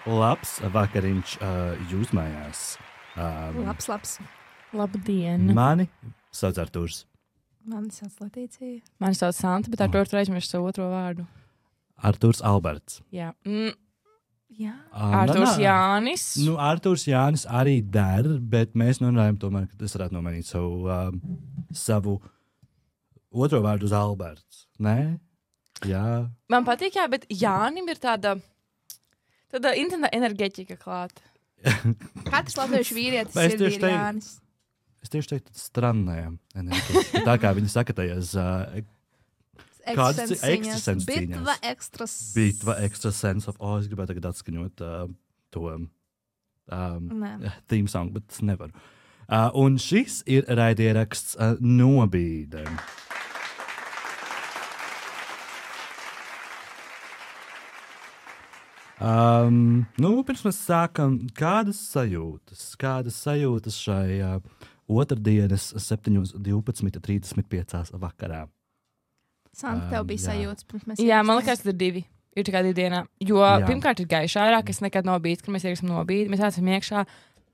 Labs vakariņš jūs mājās. Labs. Labdien. Mani sauc Artūrs. Mani sauc Latīcija. Mani sauc Santa, bet Artūrs aizmirst savu otro vārdu. Artūrs Alberts. Jā. Jā. Artūrs Jānis. Nu, Artūrs Jānis arī der, bet mēs runājam tomēr, ka es varētu nomainīt savu otro vārdu uz Alberts. Nē? Jā. Man patīk, jā, bet Jānim ir tāda interneta enerģētika klāta. Katrs latviešu vīrietis ir Jānis. Es tieši teiktu, strannējam enerģētika. Tā kā viņi saka tajās kādas ekstrasens cīņās. Bitva ekstrasens of, es gribētu tagad atskaņot to theme song, bet es nevaru. Un šis ir raidieraksts Nobīde. Pirms mēs sākam, kādas sajūtas šai otrdienas 7:12:35 vakarā? Santa, tev bija sajūtas pirms mēs... Jā, man liekas, tas ir 2. Ir tikai 2 dienā. Jo pirmkārt ir gaišā ārā, kas nekad nav bijis, kad mēs ieraksim Nobīdi. Mēs esam iekšā.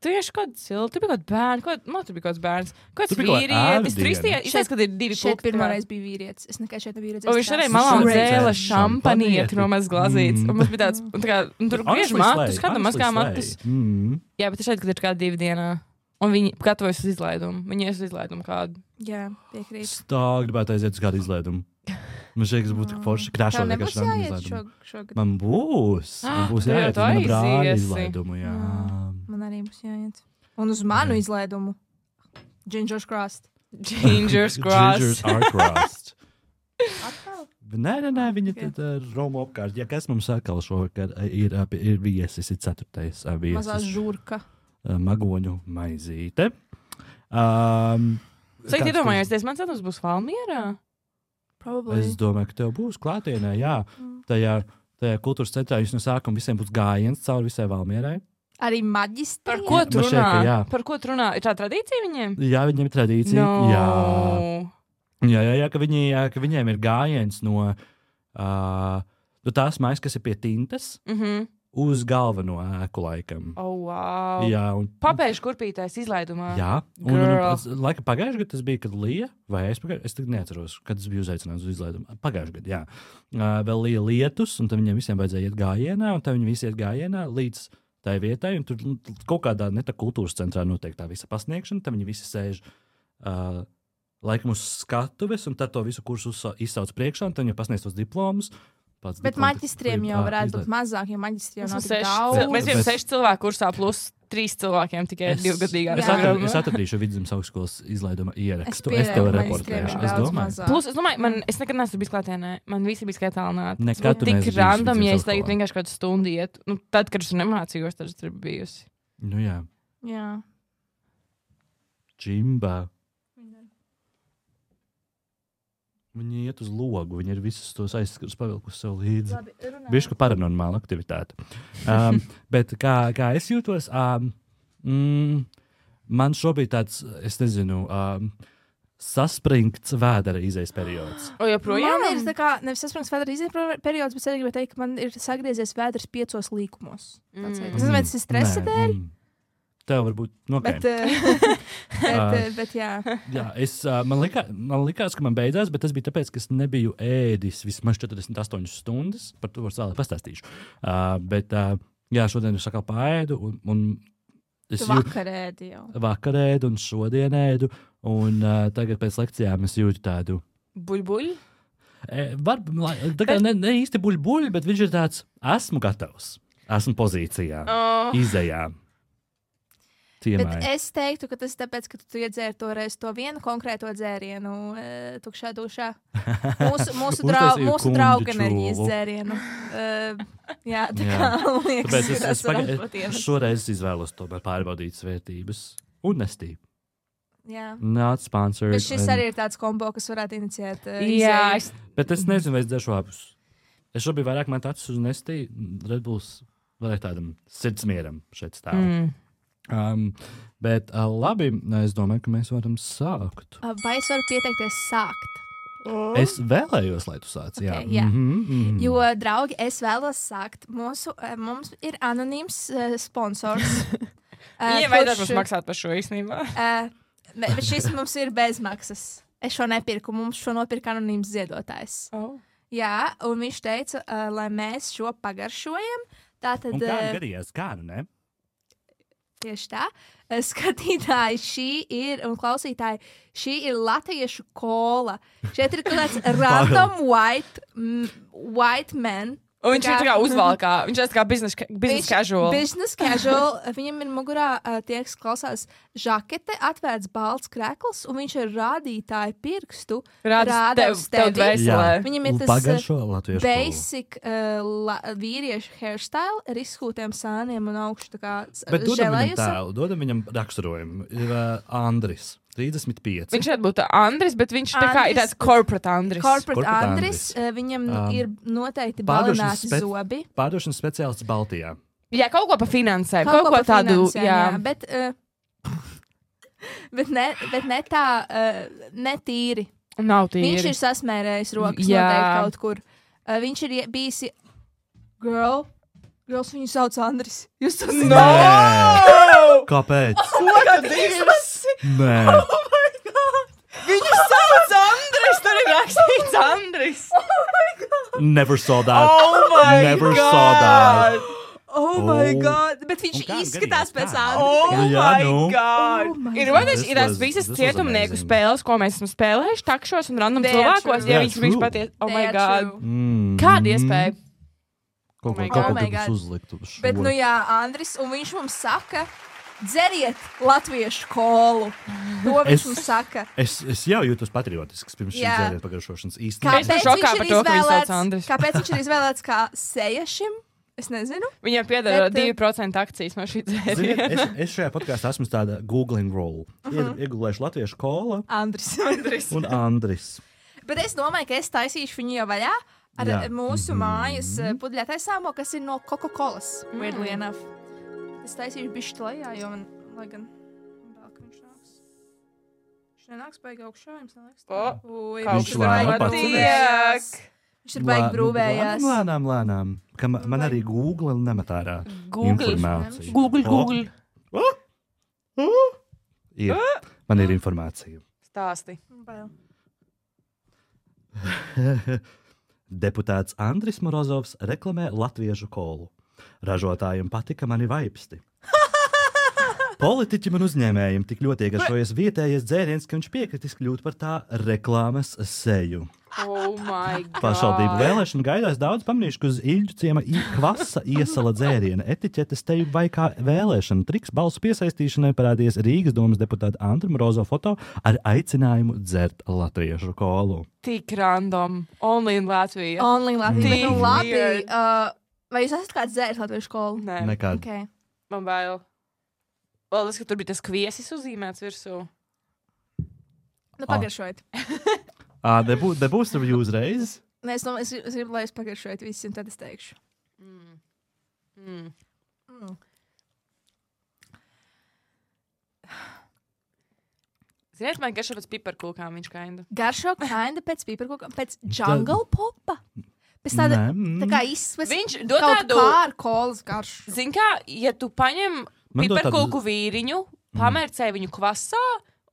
Tu ieši kaut silti, tu bija kaut bērns, tur bija kaut bērns. Kāds vīrietis, tur izties, kad ir 2 šeit pirmoreiz bija vīrietis. Es nekad šeit nebiju redzējis. Un viņš arī malā un dzēla šampanieti no maz glazītes. Un mums bija tāds, tur griež matus, kādam mazgā matus. Jā, bet šeit, kad ir kā 2 dienā. Un viņi gatavojas uz izlaidumu. Viņi ies uz izlaidumu kādu. Jā, piekrīt. Stāk, gribētu aiziet uz kādu izlaidumu. Man šeit būtu forši krāšot vienkārši random izlaidumu. Man būs jāiet uz mana brāļa izlaidumu, jā. Man arī būs jāiet. Un uz manu izlaidumu. Gingers Crossed. Gingers are crossed. Atkal? Nē, viņa tad Roma apkārt. Ja kas mums atkal šovakar ir viesis, ir 4. viesis. Mazā žurka. Magoņu maizīte. Saka, iedomājies, mans atums būs Valmierā? Probably. Es domāju, ka tev būs klātienē, jā. Tajā kultūras centrā jūs no sākuma visiem būs gājiens cauri visai Valmierai. Arī maģistriem? Par ko tu runā? Par ko tu runā? Ir tā tradīcija viņiem? Jā, viņiem ir tradīcija. No. Jā, ka viņiem ir gājiens no tās mājas, kas ir pie tintas. Uz galveno ēku laikam. Oh, wow. Jā, papēžu kurpītais izlaidumā. Jā, un laika pagājušajā gadā tas bija, kad lija, vai es tagad neatceros, kad tas bija uzaicināts uz izlaidumu. Pagājušajā gadā, jā. Vēl lija lietus, un tad viņiem visiem vajadzēja iet gājienā, un tad viņi visi iet gājienā līdz tai vietai, un tur kaut kādā kultūras centrā notiek tā visa pasniegšana, tad viņi visi sēž laikam uz skatuves, un tad to visu kursu izsauc priekšā, un tad viņi pasniedz tos diplomus. Bet maģistriem jau varētu būt mazāk, jo maģistriem nav tik daudz. Mēs jau 6 cilvēku kursā plus 3 cilvēkiem tikai 2-gadīgā. Es atradīšu Vidzemes augstskolas izlaiduma ierakstu. Es tev reportēšu. Plus, es domāju, es nekad neesmu bijis klātienē. Man visi bija skaitālināti. Nekad tu neesi tik random, ja es tagad vienkārši kādu stundu iet. Tad, kad es nemācījos, tad es tur bijusi. Nu jā. Jā. Džimba. Viņi iet uz logu, viņi ir visus tos aizskars pavilkusi sev līdzi. Bišķi paranormāla aktivitāte. Bet kā es jūtos, man šobrīd tāds, es nezinu, saspringts vēdera izejas periods. O, joprojām? Man ir tā kā, nevis saspringts vēdera izejas periods, bet es gribēju teikt, ka man ir sagriezies vēders 5 līkumos. Es nezinu, vai tas ir stresa dēļ? Tev varbūt bet jā. Jā, man likās, ka man beidzās, bet tas bija tāpēc, ka es nebiju ēdis vismaz 48 stundas. Par to vēlāk pastāstīšu. Jā, šodien es atkal paēdu. Tu vakar ēdi jau. Vakar ēdu un šodien ēdu. Un tagad pēc lekcijām es jūtu tādu... Buļbuļu? Ne īsti buļbuļu, bet viņš ir tāds, esmu gatavs. Esmu pozīcijā. Izejā. Bet es teiktu, ka tas ir tāpēc, ka tu iedzēri toreiz to vienu konkrēto dzērienu tukšā dušā. Mūsu drauga enerģijas dzērienu. Jā, tā kā liekas. Es šoreiz izvēlos tomēr pārbaudīt svērtības un nestību. Jā. Not sponsored. Bet šis arī ir tāds kombo, kas varētu inicijēt. Jā. Bet es nezinu, vai es dzeršu abus. Es šobrīd vairāk man acis uz nestī. Red Bulls vairāk tādam sirdsmieram šeit stāv. Bet labi, es domāju, ka mēs varam sākt. Vai es varu pieteikties sākt? Es vēlējos, lai tu sāc. Okay, jā. Jo, draugi, es vēlos sākt. Mums ir anonīms sponsors. Viņiem vajadzētu mums maksāt par šo īstenībā. Bet šis mums ir bezmaksas. Es šo nepirku. Mums šo nopirka anonīms ziedotājs. Jā, un viņš teica, lai mēs šo pagaršojam. Tātad, un kā gadījās? Kā, ne? Tieši tā. Skatītāji, un klausītāji, šī ir latviešu kola. Šeit ir kaut kāds random white man. Un viņš ir tā kā uzvalkā. Viņš ir tā kā business casual. Business casual. Viņam ir mugurā tie, kas klausās žakete, atvērts balts krekls, un viņš ir rādītāju pirkstu. Rādās tevi. Viņam ir tas basic vīriešu hairstyle ar izskūtiem sāniem un augšu tā kā bet dodam viņam raksturojumu. Ir Andris. 35. Viņš šeit būtu Andris, bet viņš tā kā ir tāds corporate Andris. Corporate Andris. Viņam ir noteikti balināti zobi. Pārdošanas speciālists Baltijā. Jā, kaut ko pa finansēm. Kaut ko tādu, jā. Bet ne tā, ne tīri. Nav tīri. Viņš ir sasmērējis rokas noteikti kaut kur. Viņš ir bijis Girls viņu sauc Andris. Jūs to zināt? No! Kāpēc? Ko tad izlasi? Nē. Oh my God! Viņu sauc Andris! Tur ir rakstīts Andris! Oh my God! Never saw that. Oh my Never God! Saw that. Oh my God! Bet viņš izskatās pēc Andris. Oh my God! Oh my ir tās visas cietumnieku spēles, ko mēs esam spēlējuši takšos un random cilvēkos, ja viņš bija patiesi. Oh my God! Kāda iespēja? Kaut ko uzlikt uz šo. Bet, Andris, un viņš mums saka, dzeriet latviešu kolu. To viņš mums saka. Es jau jūtos patriotisks pirms šī dzēriet pagaršošanas īstenībā. Kāpēc viņš ir izvēlēts kā seja šim? Es nezinu. Viņam piedara 2% akcijas no šī dzēriena. Es šajā podkāstā esmu tāda googling role. Iegulēšu latviešu kola. Andris. Un Andris. Bet es domāju, ka es taisīšu viņu jau vaļā. Ar mūsu mājas pudļētaisāmo, kas ir no Coca-Colas. Weirdly enough. Es taisīšu bišķi lejā, jo man, lai gan, vēl, ka viņš nāks. Viņš nenāks baigi augšā, jums neliekas tā? Viņš lēnām Viņš ir baigi brūvējās. Lēnām. Man arī Google nemet ārā informāciju. Google. Man ir informācija. Stāsti. Deputāts Andris Morozovs reklamē latviešu kolu. Ražotājiem patika mani vaipsti. Politiķi man uzņēmējiem tik ļoti iegaršojies vietējais dzēriens, ka viņš piekritis kļūt par tā reklāmas seju. Oh my God! Pašvaldību vēlēšanu gaidās daudz pamanījuši, ka uz Iļģu ciema Kvasa iesala dzēriena etiķetes teju vai kā vēlēšana triks balsu piesaistīšanai parādījies Rīgas domas deputāta Andra Morozo foto ar aicinājumu dzert latviešu kolu. Tik random. Only in Latvija. Only in Latvija. Labi. Vai jūs esat kāds dzēris latviešu kolu? Nē. Nekād. Okay. Man bail. Vēl tas, ka tur bija tas kviesis uzīmēts virsū. Nu, pagaršojiet. Nebūs tev uzreiz? Nē, es gribu, lai es pagaršojiet visi, un tad es teikšu. Ziniet, man garšo pēc piparkūkām viņš kainda. Garšo kainda pēc piparkūkām, pēc jungle popa. Pēc tāda, tā kā izsves viņš dod tādu kā ar kolas garšu. Zin kā, ja tu paņem piparkūku vīriņu, pamērcē viņu kvasā,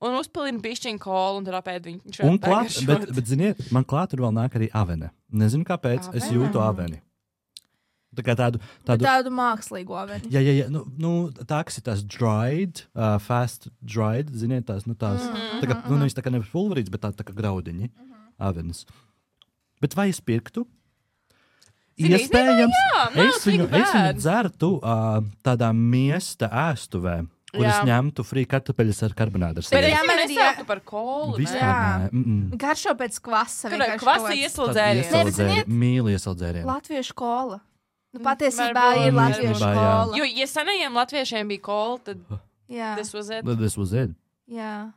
un uzpilina pišķiņu kolu, un tad apēd viņu. Un klāt, bet ziniet, man klāt tur vēl nāk arī avene. Nezinu, kāpēc, es jūtu aveni. Tā kā tādu mākslīgu aveni. Jā, nu, tā, kas ir tās dried, fast dried, ziniet, tās, tā kā, viņas tā kā nevis pulverīts, bet tā kā graudiņi, avenes. Bet vai es pirktu? Iespējams, es viņu dzertu tādā miesta ēstuvē, kuras ņemtu frī kartupeļas ar karbonādu. Bet man nesāktu par kolu. Vispār nē. Garšo pēc kvasa. Kvasa iesaldzērienu. Mīli iesaldzērienu. Latviešu kola. Nu, patiesībā ir latviešu kola. Jo, ja senajiem latviešiem bija kola, tad this was it. Jā.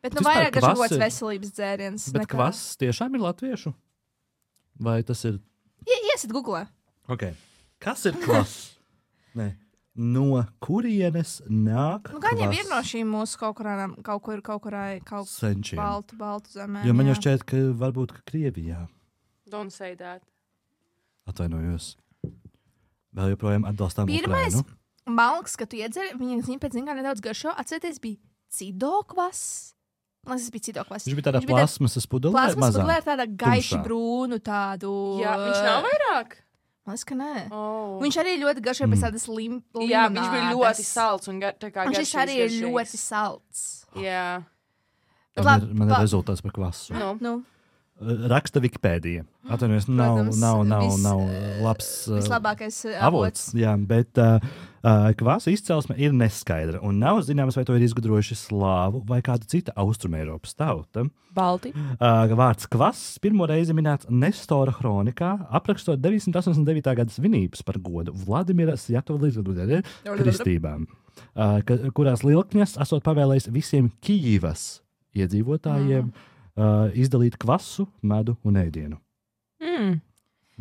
Bet nu vairāk garšo gods veselības dzēriens. Bet kvass tiešām ir latviešu? Vai tas ir... Iesit googlē. Okay. Kas ir kvass? Nē. No kurienes nāk gan jau ir no šīm mūsu kaut kur baltu zemē. Jo man jau šķiet, ka varbūt Krievijā. Don't say that. Atvainojos. Vēl joprojām atbalstām Ukrainu. Pirmais malks, ka tu iedzer, viņa pēc zināmā nedaudz garšo, atcerieties, bija cidokvas. Man tas bija cidokvas. Viņš bija tādā plasmasas pudelē, Plasmasas pudelē ar tādu gaiši brūnu tādu. Jā, viņš nav vairāk. Man liekas, ka nē. Viņš arī ļoti garšoja pēc tādas limonādes. Jā, viņš bija ļoti salds un tā kā garšīgs. Viņš arī ir ļoti salds. Jā. Man ir rezultāts par kvasu. Nu. Raksta Wikipēdija. Atvainojos, nav labs vislabākais avots. Jā, bet kvasa izcelsme ir neskaidra un nav zināms, vai to ir izgudrojuši slāvu vai kāda cita Austrumēropas tauta. Balti. Vārds kvass pirmo reizi minēts Nestora kronikā, aprakstot 989. gada svinības par godu Vladimira Sjatova kristībām, kurās Lilkņas esot pavēlējis visiem Kijivas iedzīvotājiem izdalīt kvasu, medu un ēdienu.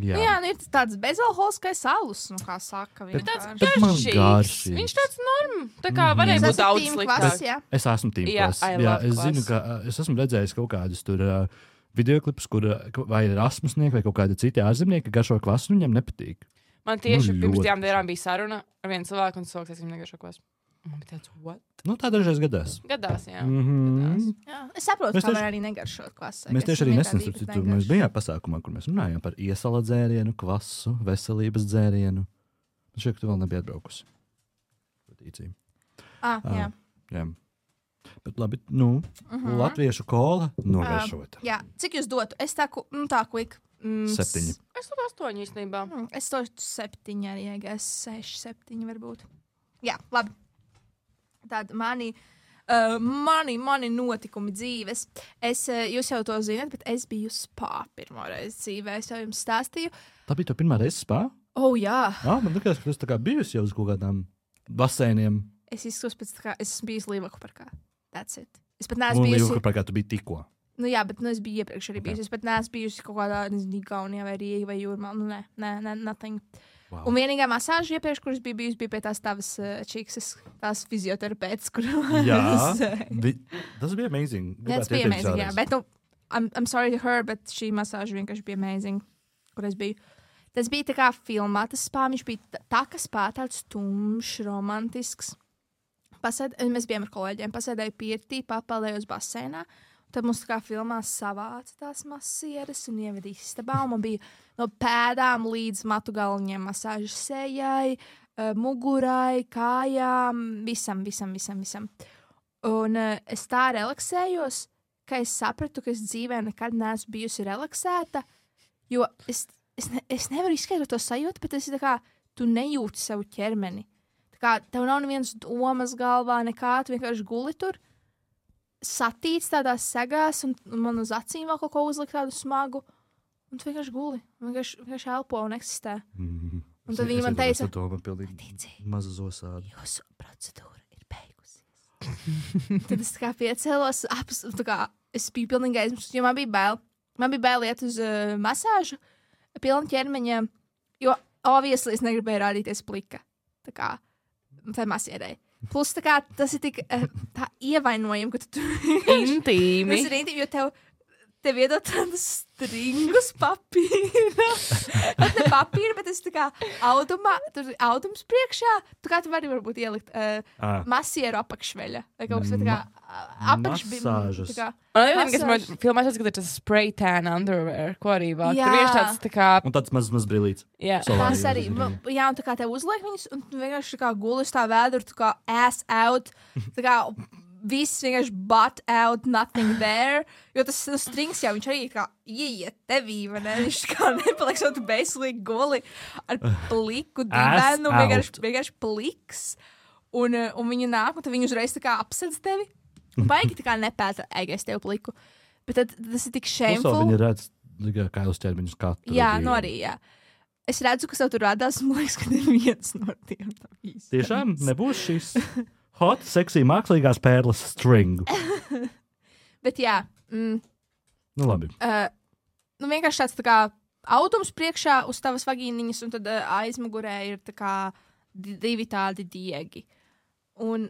Jā, ir tāds bezalkoholiskais alus, kā saka. Viņš tāds garšīgs. Viņš tāds tā kā varēja būt daudz sliktāks. Es esmu tīmklas. Es zinu, ka es esmu redzējis kaut kādus tur videoklipus, kur vai ir Erasmusnieki vai kaut kādi citi ārzemnieki garšo kvasu, viņiem nepatīk. Man tieši pirms 2 dienām bija saruna ar vienu cilvēku un cilvēks, viņam negaršo kvasu. Man bija tāds, what? Tā dažreiz gadās. Gadās, jā. Jā. Es saprotu, ka var arī negaršot kvasu. Mēs tieši arī nesen mēs bijām pasākumā, kur mēs runājām par iesala dzērienu, kvasu, veselības dzērienu. Man šķiet, ka tu vēl nebija atbraukusi. Jā. Bet labi, latviešu kola nogaršota. Jā, cik jūs dotu? Es tā quick. 7. Es dotu 8 īstenībā. Es dotu 7 arī, ja 6, 7 varbūt. Jā, labi. Tāda mani notikumi dzīves. Jūs jau to zināt, bet es biju spā pirmo reizi dzīvē. Es jau jums stāstīju. Tā bija tu pirmā reize spā? Jā. Man liekas, ka tu tā kā bijusi jau uz kaut kādām baseiniem. Es izskatos pēc tā kā, es esmu bijusi Līvaku parkā. That's it. Es pat neesmu bijusi. Līvaku parkā tu biji tikko. Jā, bet es biju iepriekš arī bijusi. Es pat neesmu bijusi kaut kādā, Igaunijā vai Rīgā vai Jūrmā. Nē, nothing. Wow. Un vienīgā masāža iepriekš, kuras bija bijusi, bija pie tās tavas čīksas, tās fizioterapeits, kur... Jā, tas bija amazing. Tas bija amazing, jā. Bet, I'm sorry to her, bet šī masāža vienkārši bija amazing, kur es biju. Tas bija tā kā filmā, tas spā, viņš bija tā, ka spā tāds tumšs, romantisks. Mēs bijām ar kolēģiem, pasēdēju pirtī, papaldējos baseinā. Tad mums tā kā filmā savāca tās masieres un ieveda istabā. Man bija no pēdām līdz matu galviņiem masāžas sejai, mugurai, kājām, visam. Un es tā relaksējos, ka es sapratu, ka es dzīvē nekad neesmu bijusi relaksēta, jo es nevaru izskaidrot to sajūtu, bet es tā kā, tu nejūti savu ķermeni. Tā kā tev nav nevienas domas galvā, nekā, tu vienkārši guli tur. Satīts tādās segās, un man uz acīm vēl kaut ko uzlikt tādu smagu, un tu vienkārši guli, vienkārši elpo un eksistē. Un tad viņi man teica, maza zosāda. Jūsu procedūra ir beigusies. Tad es tā kā piecēlos, es biju pilnīgi aizmirst, jo man bija bail. Man bija bail iet uz masāžu, pilna ķermeņa, jo obviously es negribēju rādīties plika. Tā kā, tai masierei. Plus, tā kā tas ir tik tā ievainojami, ka tu intīmi. Tas ir intīmi, jo tev iedod tādus stringus papīra. Pat ne papīra, bet tas tā kā audums priekšā. Tu kā tu vari varbūt ielikt masieru apakšveļa. Vai kaut kas tā kā Masāžas. Man filmā šeit skatīt tas spray tan underwear, ko arī vāk. Tur vienkārši tāds tā kā... Un tāds maz brīlīts. Jā. Tas arī. Jā, un tā kā tev uzliek viņus, un tu vienkārši tā kā gulis tā vēduru, tā kā ass out. Tā kā viss vienkārši butt out, nothing there. Jo tas strings jau, viņš arī kā ieiet tevī, vai ne? Viņš kā nepaliks, jo tu beislīgi guli ar pliku divenu, vienkārši pliks. Un viņi nāk, un tad viņi uzreiz tā kā apsedz tevi. Baigi tā kā nepēta, es tev pliku. Bet tad tas ir tik shameful. Viņi redz kā uz ķermeņus katru. Jā, no arī, jā. Es redzu, ka tev tur radās, man liekas, ka neviens no tiem nav īsti. Tiešām nebūs šis hot, sexy, mākslīgās pērles string. Bet jā. Nu labi. Vienkārši tāds tā kā audums priekšā uz tavas vagīniņas, un tad aizmugurē ir tā kā divi tādi diegi. Un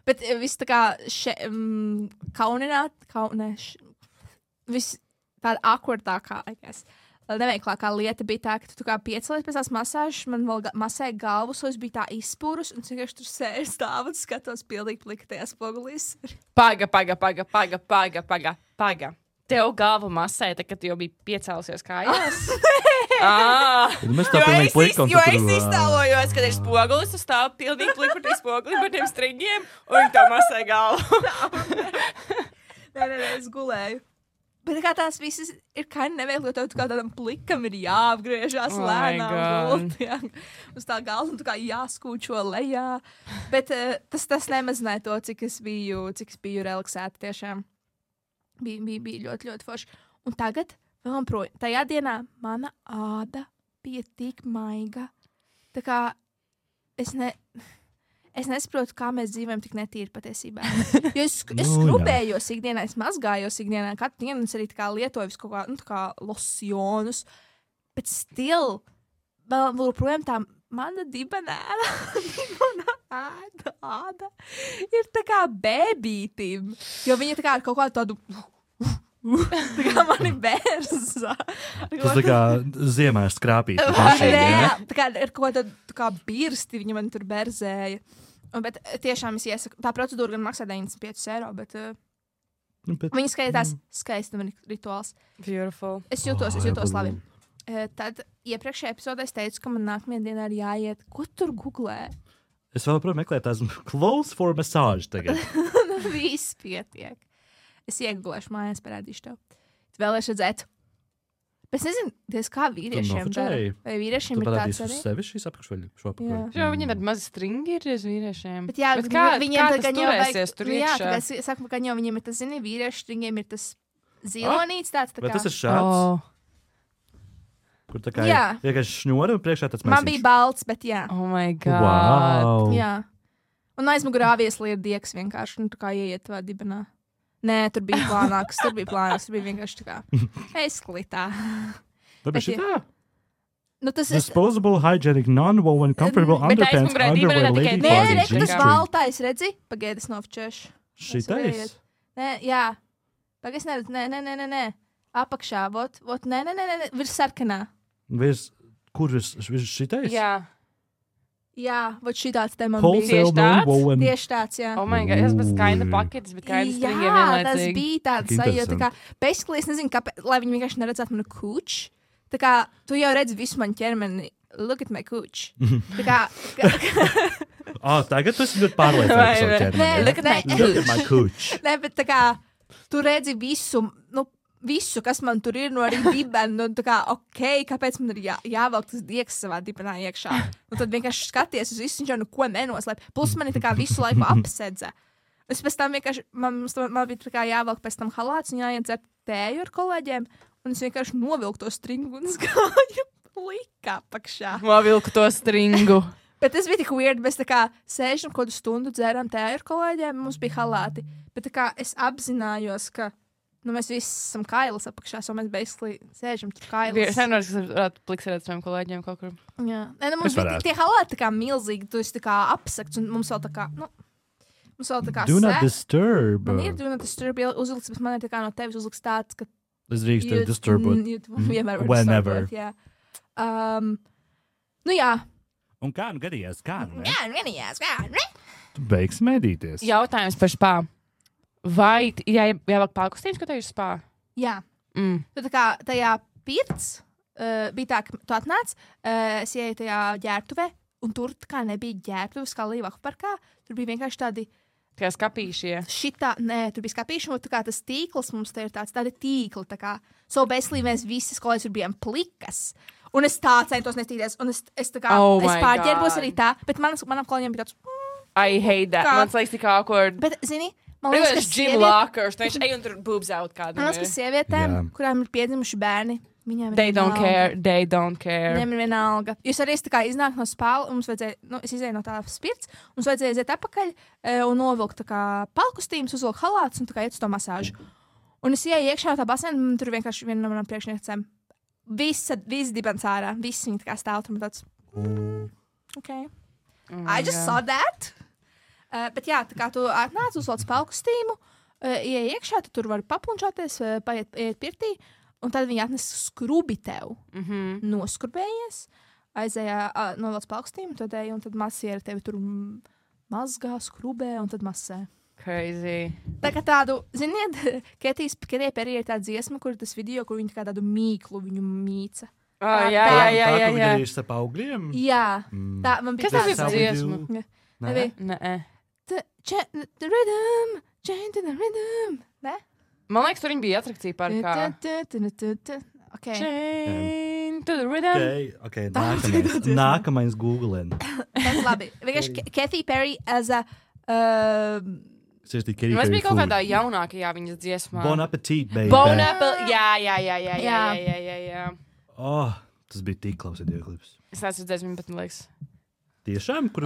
bet viss tā kā viss tāda awkwardākā, neveiklākā lieta bija tā, ka tu kā piecelies pēc tās masāžas, man vēl masēja galvu, so es biju tā izspūrus, un vienkārši tur sēž stāvu un skatos pilnīgi pliktajā spogulīs. Paga. Tev galvu masēja, tad, kad tu jau biji piecēlusies kājās? Jo es iztēlojos, kad ir spogulis, tu stāv pilnīgi plikutī spoguli par tiem stringiem, un viņi tev masēja galvu. Nē, es gulēju. Bet kā tās visas ir neveikli, jo tev kā tādam plikam ir jāapgriežās lēnām gultī, uz tā galva, un tu kā jāskūčo lejā. Bet tas nemazināja to, cik es biju relaksēta tiešām. Bija ļoti, ļoti forši. Un tagad, vēl projām, tajā dienā mana āda bija tik maiga. Tā kā es nesaprotu, kā mēs dzīvojam tik netīri patiesībā. Jo es skrubējos ikdienā, es mazgājos ikdienā, katru dienu es arī tā kā lietoju visu kaut kā, tā kā losjonus. Bet still, vēl projām tā mana dibenēra, āda ir tā kā bēbītim. Jo viņa tā kā ar kaut kādu tādu tā kā mani bērza. Tas tā kā ziemā ir skrāpīt. Tā kā ar kaut kādu tā kā birsti viņa man tur berzēja. Bet tiešām es iesaku, tā procedūra gan maksā 95 €, bet viņa skaitās skaistuma rituāls. Beautiful. Es jūtos labi. Tad iepriekšējā epizodē es teicu, ka man nākamajā dienā ir jāiet. Ko tur googlē? Es vēl joprojām meklēju tās clothes for massage tagad. Viss pietiek. Es iegūlēšu mājās, parādīšu tev. Tu vēlēši redzēt. Bet es nezinu, kā vīriešiem dara. Vai vīriešiem ir tāds arī? Uz sevi šīs apakšveļu šo apakšveļu. Jā, viņiem ir mazi stringi ir uz vīriešiem. Bet jā, kā tas turēsies tur iekšā? Jā, es saku, ka jau viņiem ir tas, zini, vīriešu stringiem ir tas zilonīts tāds tā kā. Bet tas ir šāds. Kur tā kā vienkārši šņora un priekšā tāds mēsīgs. Man bija balts, bet jā. Oh my God. Wow. Jā. Un aizmugurā viesli ir dieks vienkārši, tā kā ieiet tavā dibenā. Nē, tur bija plānāks, tur bija vienkārši tā kā esklitā. Tāpēc šitā? Nu, tas disposable, hygienic, non-woven, comfortable underpants, underwear, lady party. Nē, tas baltais, redzi? Pagaidis novčēšu. Šitais? Nē, jā. Pagaidis neredz, nē. Apakšā, vot, nē, virs sarkanā. Kur virs šitais? Jā, vot šitāds te man bija. Tieši tāds, jā. Oh my God, tas bija kaina paketes, bet kaina stringiem vienlaicīgi. Jā, tas bija tāds sajūta, tā kā, basically, es nezinu, kāpēc, lai viņi vienkārši neredzētu manu kūču. Tā kā, tu jau redzi visu manu ķermeni, look at my kūču. Tā kā... Tagad tu esi ļoti pārliecināts par savu ķermeni. Look at my kūču. Nē, bet tā kā, tu redzi visu, kas man tur ir, no arī dibena, un tā kā, kāpēc man ir jāvelk tas dieks savā dibenā iekšā. Un tad vienkārši skaties uz visu, viņš jau neko nenoslēp. Plus mani tā kā visu laiku apsedza. Es pēc tam vienkārši, man bija tā kā jāvelk pēc tam halāts un jāiet dzert tēju ar kolēģiem, un es vienkārši novilku to stringu un gāju plika apakšā. Novilku to stringu. Bet tas bija tik weird, mēs tā kā sēžam kādu stundu dzēram tēju ar kolēģiem, mums bija halāti. Bet tā kā es apzinājos, ka mēs visi esam kailas apakšā, so mēs basically sēžam tur kailas. Es nevaru, ka varētu pliksēt saviem kolēģiem kaut kur. Jā. Nē, mums bija tie halāti tā kā milzīgi, tu esi tā kā apsakts, un mums vēl tā kā, do not disturb. Man ir do not disturb uzlikts, bet man ir tā kā no tevis uzlikts tāds, ka es drīkstu disturbot. Whenever. Jā. Nu jā. Un kā nu gadījās? Tu beigsi medīties. Jautājums par spā. Vai jāvāk pārkustījumus, ko tev ir spā? Jā. Tu tā kā tajā pirts bija tā, ka tu atnāc, es ieju tajā ģērbtuvē, un tur tā kā nebija ģērbtuves kā Līvaku parkā. Tur bija vienkārši tādi... Kā skapīšie. Tur bija skapīši, un tā kā tas tīkls mums te ir tādi tīkli, tā kā. So basically mēs visas kolēģis tur bijām plikas. Un es tā centos nestīties, un es tā kā, es pārģērbos arī tā, bet manam kolēģiem bija tāds... I hate that. Man liekas tik awkward. Bet, zini, man liekas, ka Jim Lockers, viņš ej un tur boobs out kādam. Man liekas, ka sievietēm, kurām ir piedzimuši bērni, viņiem ir They don't care. Viņiem ir vienalga. Jūs arī tā kā iznāk no spāla, un mums vajadzēja, es izēju no tā spirts, mums vajadzēja iziet apakaļ un novilkt tā kā palkustījumus, uzvilkt halātus un tā kā iet uz to masāžu. Un es ieju iekšā no tā basēna, un tur vienkārši viena no manām priekšniecēm viss dibens ārā. Viss viņa tā kā stāv tur tāds. Okay. I just saw that. Bet jā, tā kā tu atnāc uzvelc palkustīmu, ieej iekšā, tu tur vari papunčāties, iet pirtī, un tad viņi atnes skrubi tev. Noskurbējies, aizējā, novelc palkustīmu, tad ej, un tad masieri tevi tur mazgā, skrubē, un tad masē. Crazy. Tā kā tādu, ziniet, Ketija Perī ir tāda dziesma, kur tas video, kur viņi tā kā tādu mīklu viņu mīca. Jā. Tā, kur viņa ir starp augļiem? Jā. Tā, man bija kas tas ir dziesma? Nē. The rhythm, chain to the rhythm. Ne? Man liekas, tur viņi bija atrakcija parkā. Okay. Chain to the rhythm. Okay, nākamais Googlen. Tas labi. Vienkārši Katy Perry as a... Mēs bija kaut kādā jaunākajā viņas dziesmā. Bon appetit, baby. Bon appetit, jā. Oh, tas bija tik klausīties klips. Es neesmu redzējis viņu, bet man liekas. Tiešām, kur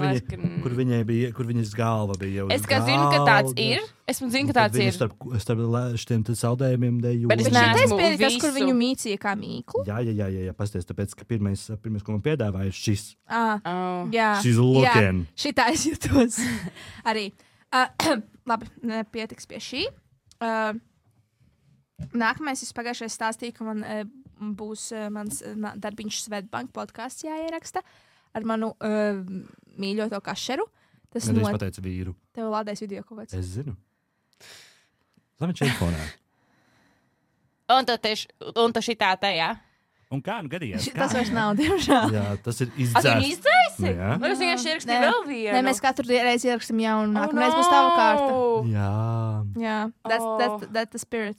viņas galva bija jau. Es kā zinu, ka tāds ir. Es zinu, ka tāds ir. Starp šiem saldējumiem deju. Bet es neesmu tas, kur viņu mīcīja kā mīklu. Jā, pasties, tāpēc, ka pirmais, ko man piedāvāja, šis. Jā. She's looking. Jā, šitā es jūtos. Arī. Labi, nepietiks pie šī. Nākamais, es pagājušajā stāstīju, ka man būs mans darbiņš Svetbank podcasts jāieraksta. Ar manu mīļoto kašeru. Tas es pateicu vīru. Tev lādēs video kaut kāds. Es zinu. Zami čelfonā. Un tu šitā tajā. Un kā nu gadījās? Tas vairs nav, diemžēl. Jā, tas ir izdzēsts. Tu izdzēsi? Es vienkārši ierakstīju vēl vienu. Nē, mēs katru reizi ierakstam jaunu. Nākamreiz būs tava kārta. Jā. That's the spirit.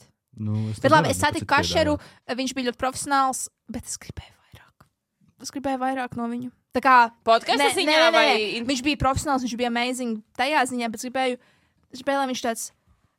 Bet labi, es satiku kašeru. Viņš bija ļoti profesionāls, bet es gribēju vairāk no viņu. Tā kā podkāstā ziņā vai viņš bija profesionāls, viņš bija amazing tajā ziņā, bet es gribēju, lai viņš tāds,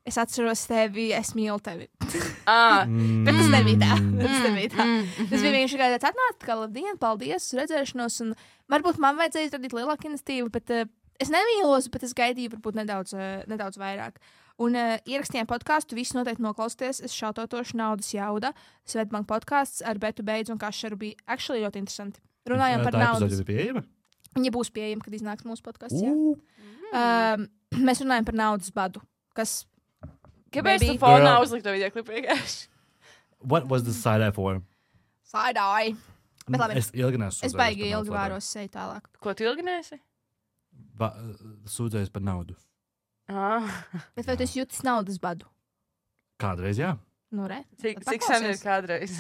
es atceros tevi, es mīlu tevi. Bet tas nebija tā. Tas bija vienkārši tāds atnāc, kā labdien, paldies, redzēšanos, un varbūt man vajadzēja radīt lielāku iniciatīvu, bet es nemīlos, bet es gaidīju varbūt nedaudz vairāk. Un ierakstījām podkāstu, visi noteikti noklausties, es šautotošu naudas jauda, Svetbank podkāsts ar Betu Beidzu un Kašeru bija actually ļoti interesanti. Runājām par naudas. Tā pieejama? Viņa būs pieejama, kad iznāks mūsu podcasts. Mēs runājam par naudas badu. Kas? Kāpēc tu fonā uzlikt to video klipu vienkārši? What was the side-eye for? Side-eye. Bet labi. Es baigi ilgi vēros seju tālāk. Ko tu ilgi neesi? Sūdzējis par naudu. Bet vai tu esi jūtis naudas badu? Kādreiz, jā. Nu, re. Cik sen ir kādreiz?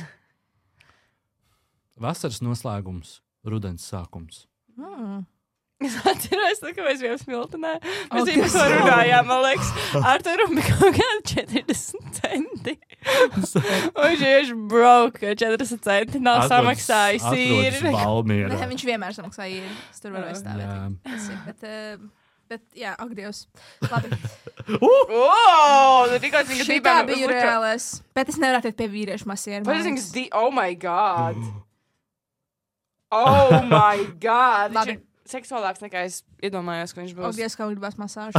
Vasaras noslēgums, rudens sākums. Es atceros, ka mēs bijām Smiltenē. Mēs jau par to runājām, man liekas. Arturam bija kaut kādi 40 centi. Un viņš vienkārši broke 40 centi. Nav samaksājis īri. Nē, viņš vienmēr samaksāja īri. Es tur varu aizstāvēt. Bet, jā, ak, Dievs. Labi. Šitā bija reālais. Bet es nevaru attiekt pie vīriešu masieru. Oh my God. Oh my God. Labi. Seksuālāks nekā es iedomājos, ka viņš būs. Ak, Dievs, kā gribas masāžu.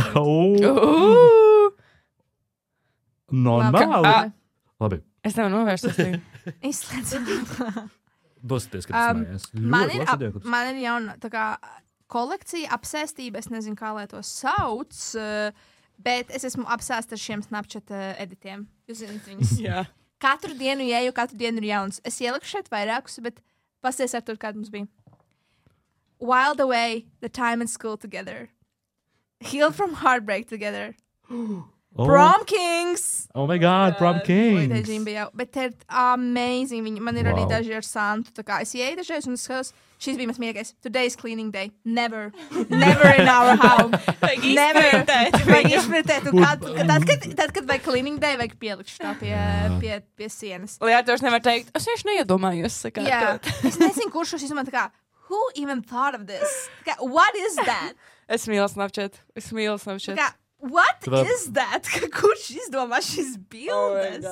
Normāli. Labi. Es tev novērstu. Izslēdzu. Dosieties, kad es mājās. Man ir jauna, tā kā, kolekcija, apsēstība, es nezinu, kā lai to sauc, bet es esmu apsēsta ar šiem Snapchat editiem. Jūs zināt viņus? Jā. Katru dienu ieju, katru dienu ir jauns. Es ieliku šeit vairākus, bet pasties ar tur, kāda mums bija. Whiled away the time in school together. Healed from heartbreak together. Prom Kings! Oh my God, Prom Kings! Bet te ir amazing. Man ir arī daži ar Santu. Tā kā es ieeju dažreiz un es skatos, šis bija mans mīļākais. Today's cleaning day. Never in our home. Never. Vajag izpratēt. Tad, kad vajag cleaning day, vajag pielikt šitā pie sienas. Lai Arturs nevar teikt, es vienkārši neiedomājos sakārtot. Jā. Es nezinu, kurš šos izdomā tā kā, who even thought of this? What is that? Es mīlu Snapchat. What is that? Kurš izdomā šis bildes?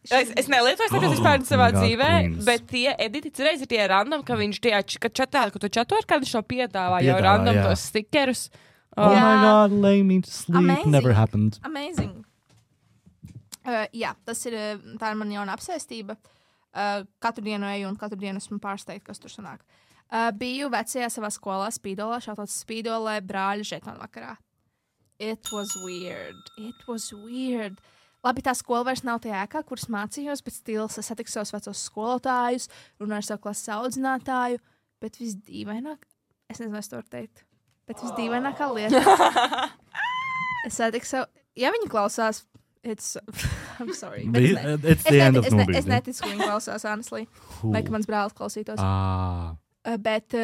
Es nelietoju Snapchat vispār savā dzīvē, bet tie editi reiz ir tie random, ka viņš tie, kad tu čato ar kādu šo piedāvā jau random tos stikerus. Oh my God, lay me to sleep. Never happened. Amazing. Jā, tā ir man jauna apsēstība. katru dienu eju un katru dienu esmu pārsteigta, kas tur sanāk. Biju vecajā savā skolā Spīdolā, šāds Spīdolē brāļa žetonu vakarā. It was weird. Labi, tā skola vairs nav tajā ēkā, kuras mācījos, bet stils es satiku savus vecos skolotājus, runāju ar savu klases audzinātāju, bet visdīvaināk, es nezinu, es to varu teikt, bet visdīvainākā lieta. Es satiku savu, ja viņi klausās, I'm sorry. It's the end of movie. Es neticu, ka viņi klausās, honestly. Vai ka mans brālis klausītos. Bet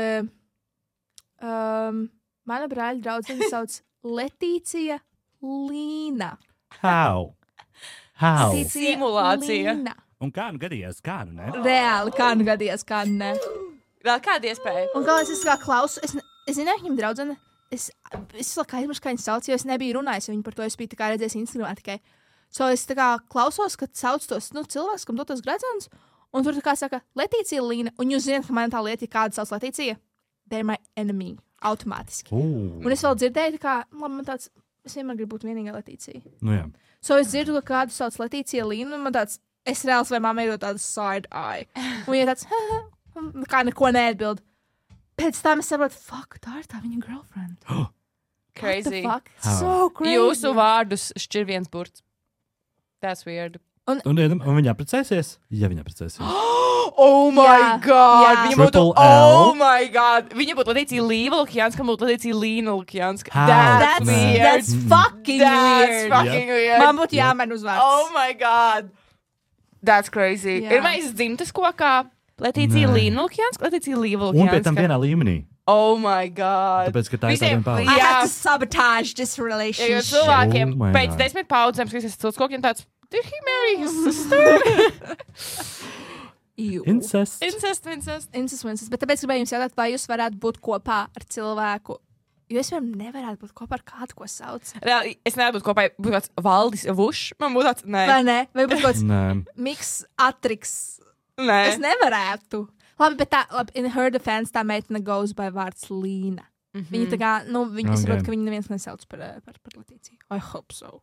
mana brāļa draudzene sauc Letīcija Līna. How? Simulācija. Līna. Un kā nu gadījās, kā nu ne? Reāli, kā nu gadījās, kā nu ne. Vēl kāda iespēja? Un galvenais, es kā klausu, es zināju, viņam draudzene, es kā aizmirsu, kā viņi sauc, jo es nebiju runājis, viņu par to es biju tā kā redzējis Instagramā tikai. So es tā kā klausos, kad sauc tos cilvēks, kam dotos gredzens, un tur tā kā saka Letīcija Līna, un jūs zināt, ka man tā lieta, ja kāda sauc Letīcija, they're my enemy, automātiski. Un es vēl dzirdēju, tā kā, labi, man tāds, es vienmēr gribu būt vienīgā Letīcija. Nu jā. So es dzirdu, ka kādu sauc Letīcija Līna, un man tāds, es reāls vai mamma ir tāds side eye. Un viņa tāds, kā neko neatbild. Pēc tam es saprotu, fuck, tā ir tā viņa girlfriend. Crazy. What the fuck? So crazy. Jūsu vārdus šķir viens burts. That's weird. Un viņa apprecēsies? Ja viņa apprecēsies. Oh my god! Jā. Viņa būtu, Triple L. oh my god! Viņa būtu Letīcija Līva Lukjanska, būtu Letīcija Līna Lukjanska. How? That's weird. That's fucking That's weird. fucking weird. Man būtu jāmen uzvārds. Oh my god! That's crazy. Jā. Ir mēs dzimtas kokā Letīcija Nē. Līna Lukjanska, Letīcija Līva Un pie tam Lukjanska. vienā līmenī. Oh my god! Tāpēc, ka tā ir Visiem- tādiem paudze. I Jā. have to sabotage this Jo relationship. cilvēkiem Oh my pēc God. 10 paudzēm, kad es esmu kokiem tāds, did he marry his sister? Ew. Incest. Incest. Bet tāpēc gribēju jums jautāt, vai jūs varētu būt kopā ar cilvēku, jo es vienam nevarētu būt kopā ar kādu, ko sauc. Reāli, es nevaru būt kopā, būtu tāds Valdis Vušs, man būtu tāds, nē. Vai ne? Vai būtu kaut kāds Nē. miks atriks. Nē. Es nevarētu. Labi, bet tā, labi, in her defense, tā meitene goes by vārds Līna. Viņa tā kā, nu, viņa Okay. saprot, ka viņa neviens nesauc par Letīciju. I hope so.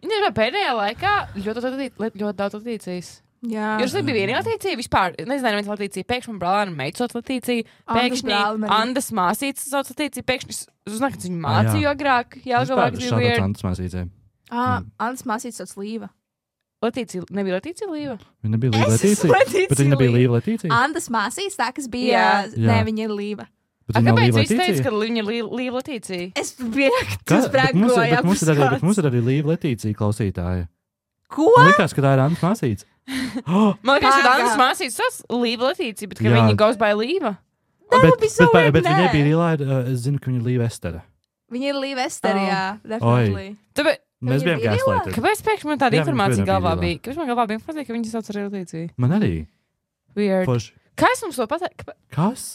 Viņa ir pēdējā laikā ļoti daudz Latīcijas. Jā. Jūs bija vienīgā Latīcija vispār. Nezinu, neviens Latīcija. Pēkšņi man brālēna meita sauc Latīcija. Andas Pēkšņi brālim arī. Andas māsītes sauc Latīcija. Pēkšņi es uzzināju, ka viņu mācīju agrāk. Jā, galvāk bija Šādā weird. tantas māsīcē. Andas māsītes sauc Līva. Latīcija, nebija Latīcija Līva? Viņa nebija Līva Letīcija. Letīcija Bet viņa nebija Līva Letīcija. Andas māsītes, tā, kas bija, Jā. nē, Jā. viņa ir Līva. Bet viņa nav Kāpēc Līva viņš teica, Letīcija. ka viņa ir Līva Latīcija? Es biju, ka Ka- tas bet mums ir- bet brēkoja. mums ir arī Līva Letīcija klausītāja. Ko? Man likās, ka tā ir Antas māsītes. Man liekas, ka Pagā. Andas māsītes sauc Līva Latīcija, bet ka Jā. viņa goes by Līva. would be so weird, bet nē. viņa bija Līva, es zinu, ka viņa ir Līva Estere. Viņa ir Līva Esterijā, definitely. Tāpēc, Mēs Viņa bijām bija gaslighted. kāpēc pēkšņi man tāda Jā, viņa informācija bija galvā Līva. bija? Kāpēc man galvā bija informācija, ka viņa sauc arī Latīcija? Man arī. Weird. Forši. Kā es mums to pateicu? Kas?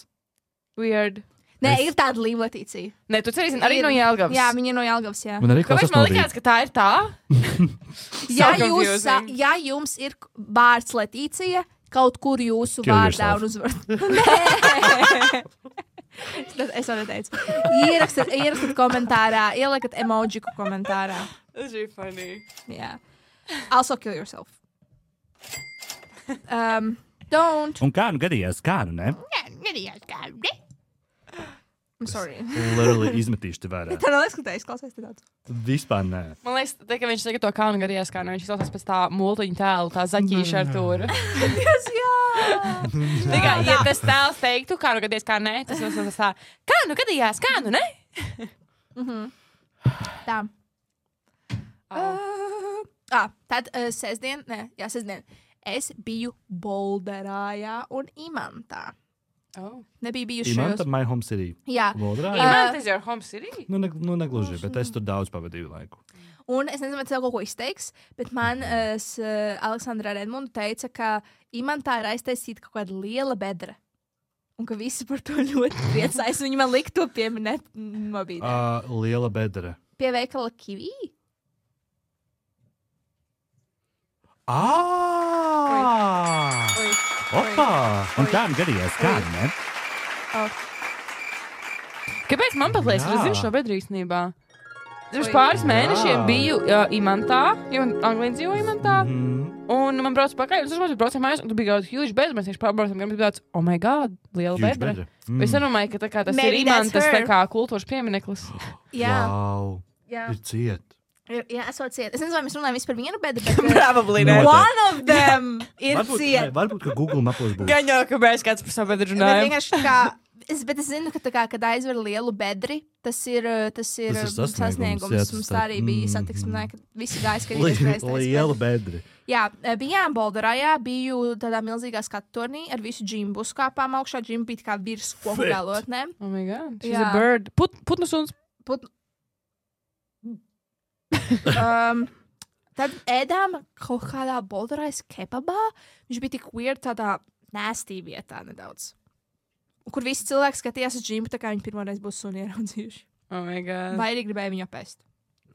Weird. Nē, Es- ir tāda Līva Letīcija. Nē, tu cerēsi arī no Jelgavas. Jā, viņa ir no Jelgavas, jā. Man arī Kāpēc klausās man no likās, ka tā ir tā? Ja, So jūs, confusing. ja jums ir vārds Letīcija, kaut kur jūsu Kill vārdā yourself. un uzvārdā. Es to neteicu. Ierakstiet komentārā, ieliekat emojiku komentārā. Tas ir funny. Jā. Also kill yourself. Don't. Un kā nu gadījās, kā nu ne? I'm sorry. Literally izmetīšu te vērā. Tā nav izskatījis, klausies te daudz. Vispār nē. Man liekas, ka viņš tagad to kānu gadījās, kā viņš klausās pēc tā multiņu tēlu, tā zaķīša ar tūru. Tikai, ja tas tēls teiktu, kā nu gadījās, kā nē, tas būs tā, kā nu gadījās, kā nu ne? Tā. Tad sestdien, es biju Bolderājā un Imantā. Nebija bijuši Imanta, my home city. Jā. Vodrā, Imants is your home city? nu negluži, bet es tur daudz pavadīju laiku. Un es nezinu, vai tev kaut ko izteiks, bet man Aleksandra Redmonda teica, ka Imantā ir aiztaisīta kaut kāda liela bedra. Un ka visi par to ļoti priecājas. Viņi man lika to pieminēt mobīlē. Liela bedra. Pie veikala Kivī. Opa! Un kā nu gadījās, kā nu ne? Kāpēc man pat liekas, ka Jā. es zinu šo bedru īstenībā? Pirms pāris mēnešiem biju Imantā, jo Anglija dzīvo Imantā. Un man brauc pakaļ, un tas braucam mājās, un tu bija kaut huge bedre, mēs viņš pārbraucam, un tāds, oh my god, liela bedre. Es nedomāju, ka tā kā tas ir Imantas tā kā kultūras piemineklis. Wow, ir ciet. Jā, esot ciet. Es nezinu, vai mēs runājam vispār par vienu bedri, bet probably one of them ir ciet. Varbūt, ka Google mapos būs. Gan jau, ka mēs kāds par savu bedru runājam. Bet es zinu, ka tā kā, kad aizver lielu bedri, tas ir sasniegums. Mums tā arī bija satiksmē, kad visi gāja skatīties. Liela bedri. Jā, bijām Bolderājā, biju tādā milzīgā skatutornī ar visu džimbu. Uzkāpām augšā, džimbu bija tā kā virs koku galotnēm. Oh my god, she's a bird. Putnu suns. Tad ēdām kaut kādā Bolderājas kebabā. Viņš bija tik weird tādā nasty vietā nedaudz. Kur visi cilvēki skatījās uz džimbu, tā kā viņi pirmoreiz būs suni ieraudzījuši. Oh my god. Vai arī gribēja viņu apēst.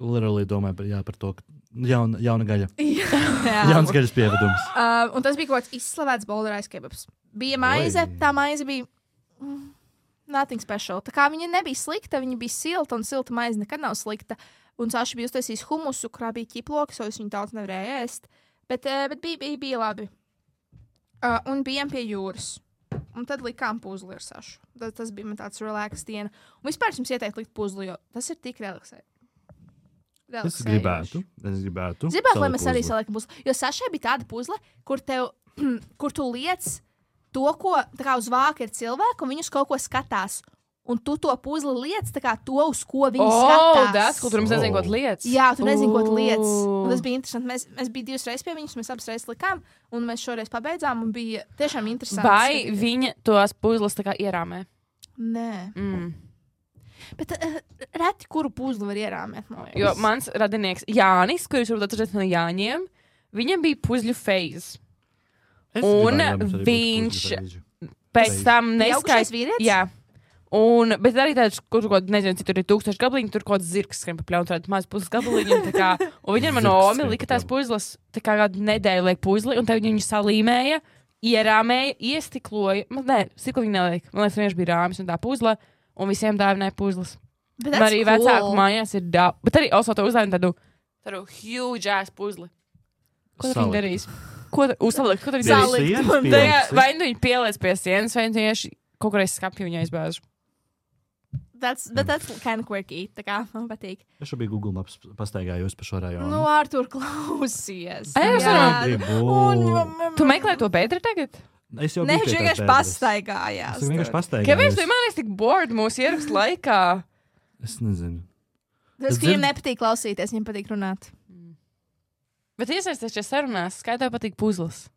Literally domāju par to, ka jauna gaļa. Jauns gaļas pievedums. Un tas bija kaut kāds izslavēts Bolderājas kebabs. Bija maize, tā maize bija nothing special. Tā kā viņa nebija slikta, viņa bija silta, un silta maize nekad nav slikta. Un Saša bija uztaisījis humusu, kurā bija ķiploki, so es viņu daudz nevarēju ēst. Bet bija labi. Un bijām pie jūras. Un tad likām puzli ar Sašu. Tas bija man tāds relax diena. Un vispār jums ieteikt likt puzli, jo tas ir tik relaxējoši. Es gribētu. Zibāk, lai mēs arī saliekam puzli. Jo Sašai bija tāda puzle, kur tu liec to, ko tā kā uz vāka ir cilvēki, un viņus kaut ko skatās. Un tu to puzli liec, tā kā to, uz ko viņi skatās. Tas, ko tur mums nezinu, ko liec. Jā, tu nezinu, ko liec. Un tas bija interesanti. Mēs bijām 2 reizes pie viņas, mēs abas reizes likām, un mēs šoreiz pabeidzām, un bija tiešām interesanti. Vai viņa tos puzles tā kā ierāmē? Nē. Bet reti, kuru puzli var ierāmēt. Jo mans radinieks Jānis, kurš varbūt atceries no Jāņiem, viņam bija puzļu phase. Un viņš pēc tam neskaidrs vīrietis? Jā. Bet arī tāds, kur nezinu, cik tur ir 1000 gabaliņi, tur kaut kāds zirgs skrien pa pļaunu, tādu maz puzles gabaliņu. Un viņam no Omi lika tās puzles, tā kā kādu nedēļu liek puzli, un tad viņu salīmēja, ierāmēja, iestikloja. Nē, stiklo viņa neliek. Man liekas, vienkārši bija rāmis un tā puzle, un visiem dāvināja puzles. Bet arī cool. Vecāku mājās ir daudz. Bet arī also to uzdāvina tādu huge ass puzli. Ko tad viņi darīs? Ko uzsalikt? Vai nu viņi pieliec pie sienas, vai tieši kaut kur aiz skapju viņa aizbāžu. That's kind of quirky. Tā kā man patīk. Es šobrīd Google Maps pastaigājos pa šo rajonu. Nu, Artur, klausies. Tu meklē to bedri tagad? Es jau biju vienkārši pastaigājās. Es vienkārši pastaigājos. Kāpēc tu man esi tik bored mūsu ierakstu laikā? Es nezinu. Tas, ka viņiem nepatīk klausīties, viņiem patīk runāt. Bet iesaisties šajā sarunās, kā tev patīk puzles?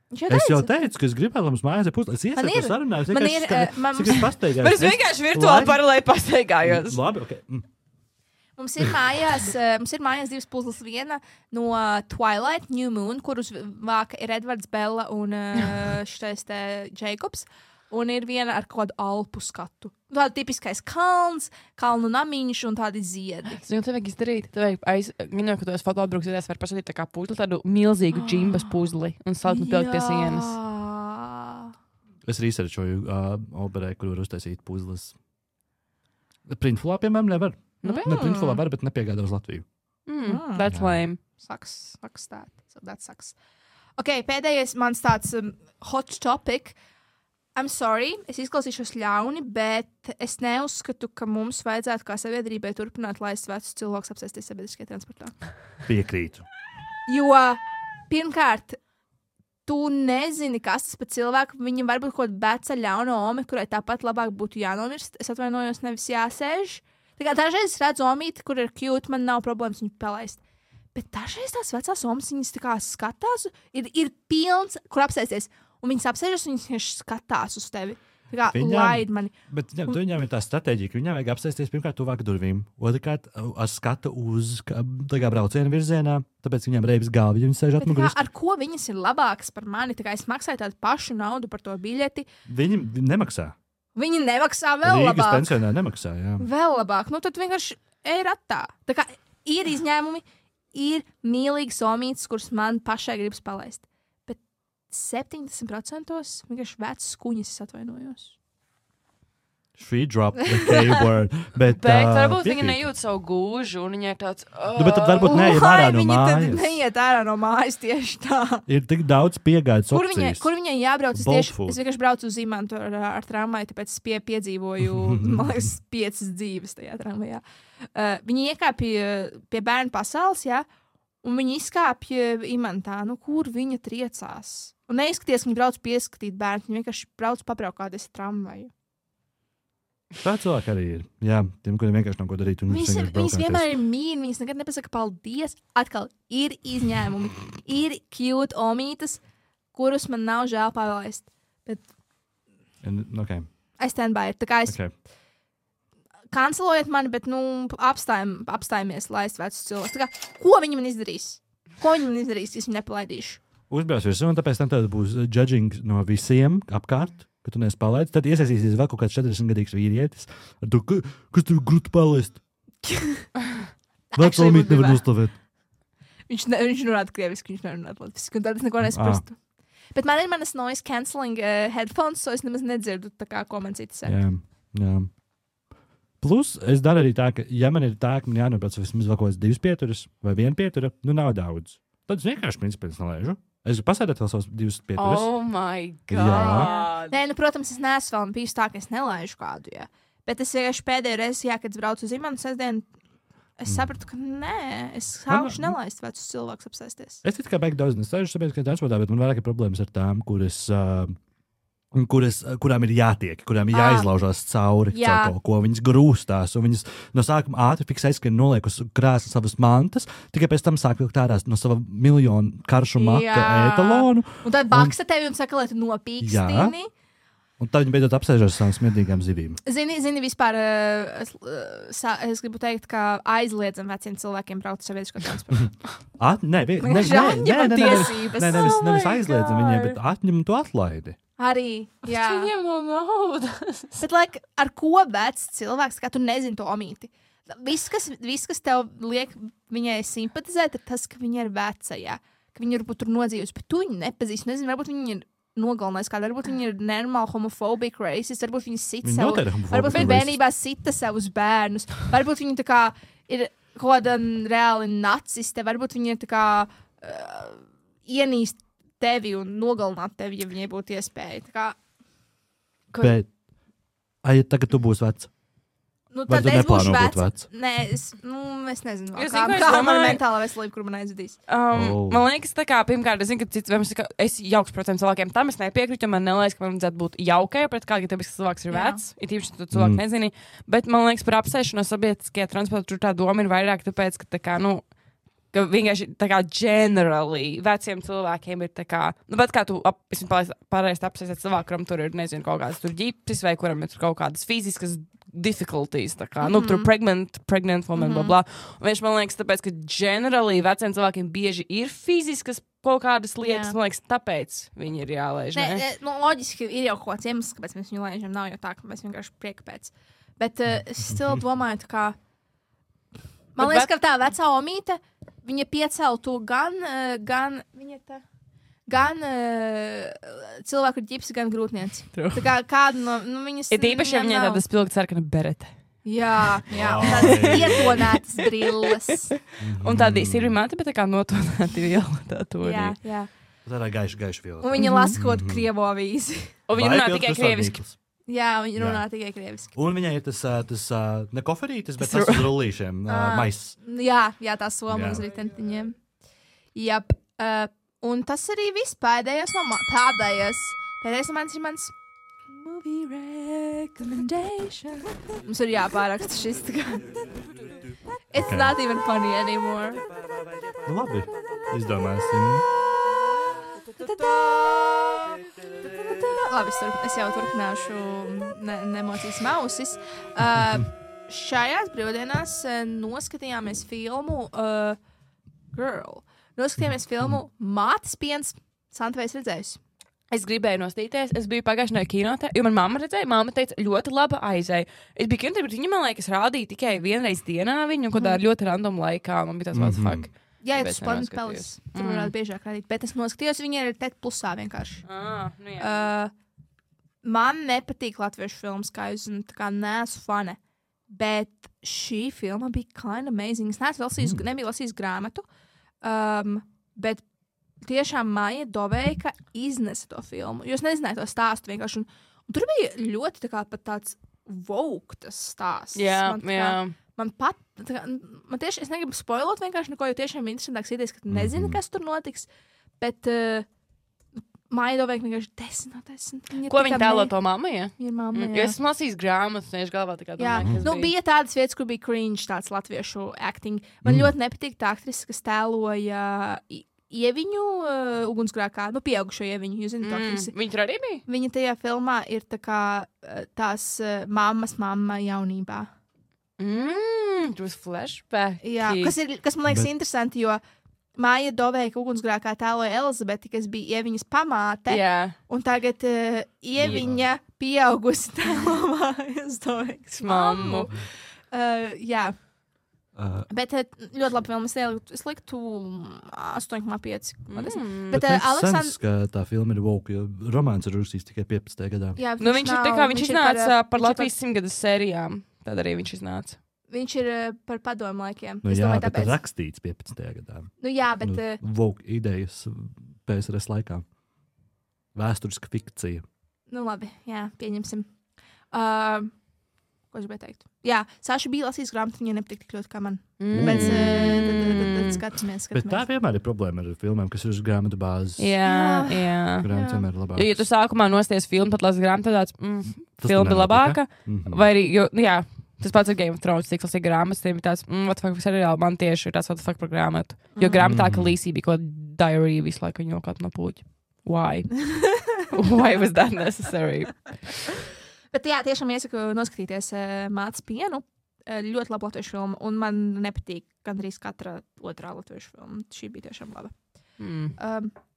Es jau teicu, ka es gribētu, lai mums mājās ir puzles. Es iesaistos sarunās, cik es pastaigājos. Bet es vienkārši virtuāli paralēli pastaigājos. Labi, ok. Mums ir mājās 2 puzles. Viena no Twilight, New Moon, kurus vāka ir Edvards, Bella un šitais te Jacobs. Un ir viena ar kādu alpu skatu. Tāda tipiskais kalns, kalnu namiņš un tādi ziedi. Zinu, tev vajag izdarīt. Tev vajag minēt, ka tu esi fotoatbrauksies, var pasūtīt tā kā puzli, tādu milzīgu džimbas puzli un salikt un pielikt pie sienas. Es researchoju operē, kur var uztaisīt puzles. Printfulā, piemēram, nevar. Printfulā var, bet nepiegādā uz Latviju. That's lame. Sucks that. So that sucks. Ok, pēdējais mans tāds hot topic. I'm sorry, es izklausīšos ļauni, bet es neuzskatu, ka mums vajadzētu kā sabiedrībai turpināt laist vecus cilvēkus apsēsties sabiedriskajā transportā. Piekrītu. Jo, pirmkārt, tu nezini, kas tas par cilvēku. Viņam varbūt kaut kāda veca ļauna ome, kurai tāpat labāk būtu jānomirst. Es atvainojos, nevis jāsēž. Tā kā dažreiz es redzu omīti, kur ir cute, man nav problēmas viņu palaist. Bet dažreiz tās vecās omas, viņas tā kā skatās, ir pilns, kur apsēsties. Un viņas apsēžas, un viņas skatās uz tevi. Tā kā laid mani. Bet viņām ir tā stratēģija, ka viņām vajag apsēsties pirmkārt tuvāk durvīm. Otrkārt, ar skatu uz brauciena virzienā, tāpēc viņām reibas galva, ja viņas sēž atmugurī. Ar ko viņas ir labākas par mani? Tā kā es maksāju tādu pašu naudu par to biļeti. Viņi nemaksā. Viņi nemaksā vēl Rīgas labāk. Rīgas pensionāri nemaksā, jā. Vēl labāk. Nu, tad vienkārši ej ratā. Tā kā ir izņēmumi, ir mīlīgas omītes, kuras man pašai gribas palaist. 70% vienkārši vecas kuņas, es atvainojos. She dropped the K-word. Bet varbūt viņa nejūt savu gūžu, un viņa ir tāds... Bet tad varbūt neiet ārā no mājas. Viņa neiet ārā no mājas tieši tā. Ir tik daudz piegādes opcijas. Kur viņai jābrauc? Es vienkārši braucu uz Imantu ar tramvaju, tāpēc es piedzīvoju, man liekas, 5 dzīves tajā tramvajā. Viņi iekāpja pie bērnu pasaules, jā, un viņi izkāpja Imantā. Nu, kur viņa triecās? Un neizskaties, ka viņi brauc pieskatīt bērnu, viņi vienkārši brauc pabraukāties ar tramvaju. Tā cilvēki arī ir. Jā, tiem, kuriem vienkārši nav ko darīt. Viņas vienmēr ir mīļi, viņas nekad nepasaka paldies. Atkal ir izņēmumi. Ir cute omītas, kurus man nav žēl palaist. Bet okay. I stand by it. Tā kā es kancelojiet mani, bet apstājamies laist vecus cilvēkus. Tā kā, ko viņi man izdarīs? Ja es viņu nepalaidīšu? Uzbrauc virsū, un tāpēc tam tad būs judging no visiem apkārt. Ka tu neesi palaidis, tad iesaistīsies vēl kaut kāds 40-gadīgs vīrietis. Ar to, kas tur grūti palaist? Veco mīt nevar nostāvēt. Viņš runātu krieviski, viņš nerunātu latviski, un tad es neko nesprastu. Bet man ir manas noise cancelling headphones, so es nemaz nedzirdu tā kā, ko man citi saka. Jā. Plus, es daru arī tā, ka, ja man ir tā, ka man jānobrauc vismaz vēl kaut kāds 2 pieturas vai 1 pietura, nav daudz. Tad es vienkārši principā nelaižu. Es pasēdētu vēl savus 2 pieturas. Oh my God! Nē, protams, es neesmu vēl bijis tā, ka es nelaižu kādu, jā. Bet es vienkārši pēdējo reizi, kad es braucu uz Imantu sestdienu, es sapratu, ka nē, es sākuši nelaist vecus cilvēkus apsēsties. Es tikai beigtu daudz nesēžu sabiedriskajā transportā, bet man vairāk ir problēmas ar tām, kurām ir jātiek, kurām ir jāizlaužās cauri kaut ko. Viņas grūstās, un viņas no sākuma ātri fiksēs, ka noliek uz krēsla savas mantas, tikai pēc tam sāk vilkt ārā no sava miljonu karšu maka etalonu. Un tad baksa tevi un saka, lai tu nopīkstini. Un tad viņi beidzot apsēžas savām smirdīgām zivīm. Zini vispār, es gribu teikt, ka aizliedzam veciem cilvēkiem braukt sabiedriskā transportā. Nevis aizliedzam viņiem, bet atņem to atlaidi. Arī, jā. Viņiem nav naudas. Bet, ar ko vecs cilvēks, kā tu nezini to omīti? Viss, kas tev liek viņai simpatizēt, ir tas, ka viņa ir veca, jā. Ka viņa varbūt tur nodzīvus, bet tu viņu nepazīsti. Nezinu, varbūt viņa ir nogalinājis kādu, varbūt viņa ir nenormāli homofobika racist, varbūt viņa sita savu, varbūt viņa bērnībā sita savus bērnus, varbūt viņa tā kā ir kaut kāda reāli naciste, varbūt viņa ir tā kā ienīst tevi un nogalināt tevi, ja viņai būtu iespēja. Tā kā... Bet, tagad tu būsi vecs? Tad es būšu vecs. Nē, es nezinu, kā man mentāla veselība, kur man aizvedīs. Man liekas, tā kā, pirmkārt, es zinu, ka cits, es jauks, protams, cilvēkiem tam es nepiekrītu, jo man neliekas, ka man vajadzētu būt jaukai pret kādu, ja tāpēc, ka cilvēks ir vecs, ir tīpaši, tu cilvēku nezini, bet man liekas, par apsēšanos sabiedriskajā transportā tur tā doma ir vairāk, tāpēc, ka tā kā, ka vienkārši tā kā generally veciem cilvēkiem ir tā kā, bet kā tu pareizi apsēsies cilvēku, kuram tur ir, nezinu, kaut kādas tur ģipsis vai kuram ir kaut kādas fiziskas difficulties, tā kā, tur pregnant woman, bla. Un viņš man liekas, tāpēc, ka generally veciem cilvēkiem bieži ir fiziskas kaut kādas lietas, man liekas, tāpēc viņi ir jālaiž, ne? Loģiski ir jau kaut kāds iemesls, kāpēc mēs viņu laižam, nav jau tā, ka mēs vienkārši prieka pēc. Bet es still domāju, tā kā, man liekas, ka tā vecā omīte, viņa pieceltu gan viņa tā, gan cilvēku ar ģipsi, gan grūtnieci. Tā kā kāda no viņas... Ir īpaši, ja viņai tāda spilgta sarkana berete. Jā, tādas ietonētas brilles. Un tāda sirvi mati, bet tā kā notonēti viela. Jā. Tā ir gaiša viela. Un viņa lasa kaut krievu avīzi. Un viņa runā tikai krieviski. Jā, viņa runā tikai krieviski. Un viņai ir tas ne koferītis, bet tas uz rullīšiem maiss. Jā, tā soma uz ritentiņiem. Jap. Un tas arī viss pēdējais no mans movie recommendation. Mums ir jāpāraksta šis tā kā. It's not even funny anymore. Labi, izdomāsim. Labi, es jau turpināšu nemocīs mausis. Šajās brīvdienās noskatījāmies filmu Girl. Noskatījāmies filmu Mātes piens. Santa, vai esi redzējusi? Es gribēju nostīties. Es biju pagājušajā kinotē, jo man mamma redzēja. Mamma teica, ļoti laba aizēja. Es biju kinotē, bet viņa, man liekas, rādīja tikai vienreiz dienā viņu, un kādā ļoti random laikā. Man bija tāds what the fuck. Jā, tas Planet Palace. Tur varētu biežāk rādīt. Bet es noskatījos, viņa ir Ted Plusā vienkārši. Nu jā. man nepatīk latviešu filmas, kā jūs zināt, tā kā neesmu fane. Bet šī filma bija kind of amazing. Es nebiju lasījis grāmatu, bet tiešām Maija Doveika iznesa to filmu. Jūs nezinājāt to stāstu vienkārši. Un tur bija ļoti tā kā pat tāds voktas stāsts. Jā. Man tieši, es negribu spoilot vienkārši neko, jo tiešām interesantāks idejas, ka tu nezini, kas tur notiks, bet Maija Doveika vienkārši 10 no 10. Ko viņa tēlo to mammu, ja? Ir mamma, jā. Jo es lasīju grāmatas, un es galvā tā kā domāju, kas bija tādas vietas, kur bija cringe tāds latviešu acting. Man ļoti nepatīk tā aktrise, kas tēloja Ieviņu ugunsgrēkā, pieaugušo Ieviņu, jūs zināt, aktrise. Viņa tur arī bija? Viņa tajā filmā ir tā kā tās mammas mamma jaunībā. Tur flashback. Jā, kas man liekas interesanti, jo Maija Doveika ugunsgrēkā tēloja Elizabeti, kas bija Ieviņas pamāte. Jā. Un tagad Ieviņa pieaugusi tēlo Mājas Doveikas mammu. Jā. Bet ļoti labi filma. Es liktu 8,5. Bet Aleksandrs... ka tā filma ir woke, jo romāns ir uzsīs tikai 15. gadā. Jā, viņš iznāca par Latvijas 100 sērijām. Tad arī viņš iznāca. Viņš ir par padomu laikiem. Nu, jā, domāju, bet ir rakstīts 15. gadā. Nu jā, bet... woke idejas PSRS laikā. Vēsturiska fikcija. Nu labi, jā, pieņemsim. Ko es gribēju teikt? Jā, Saša bija lasījis grāmatu, viņa nepatīk tik ļoti kā man. Bet tad skatāmies. Bet tā vienmēr ir problēma ar filmām, kas ir uz grāmatu bāzes. Jā. Grāmata vienmēr ir labāka. Ja tu sākumā nosties filmu, tad lasi grāmatu, tad tāds filma ir labāka. Vai arī, jā, tas pats ar Game of Thrones, cik lasīja grāmatas, tiem ir tāds, what the fuck, seriāli man tieši ir tāds, what the fuck par grāmatu. Jo grāmatā, ka Līsī bija kaut diary visu laiku, viņa kaut no puķi. Why? Why was that necessary? Bet jā, tiešām iesaku noskatīties Mātes pienu. Ļoti laba latviešu filma, un man nepatīk gandrīz katra otrā latviešu filma. Šī bija tiešām laba.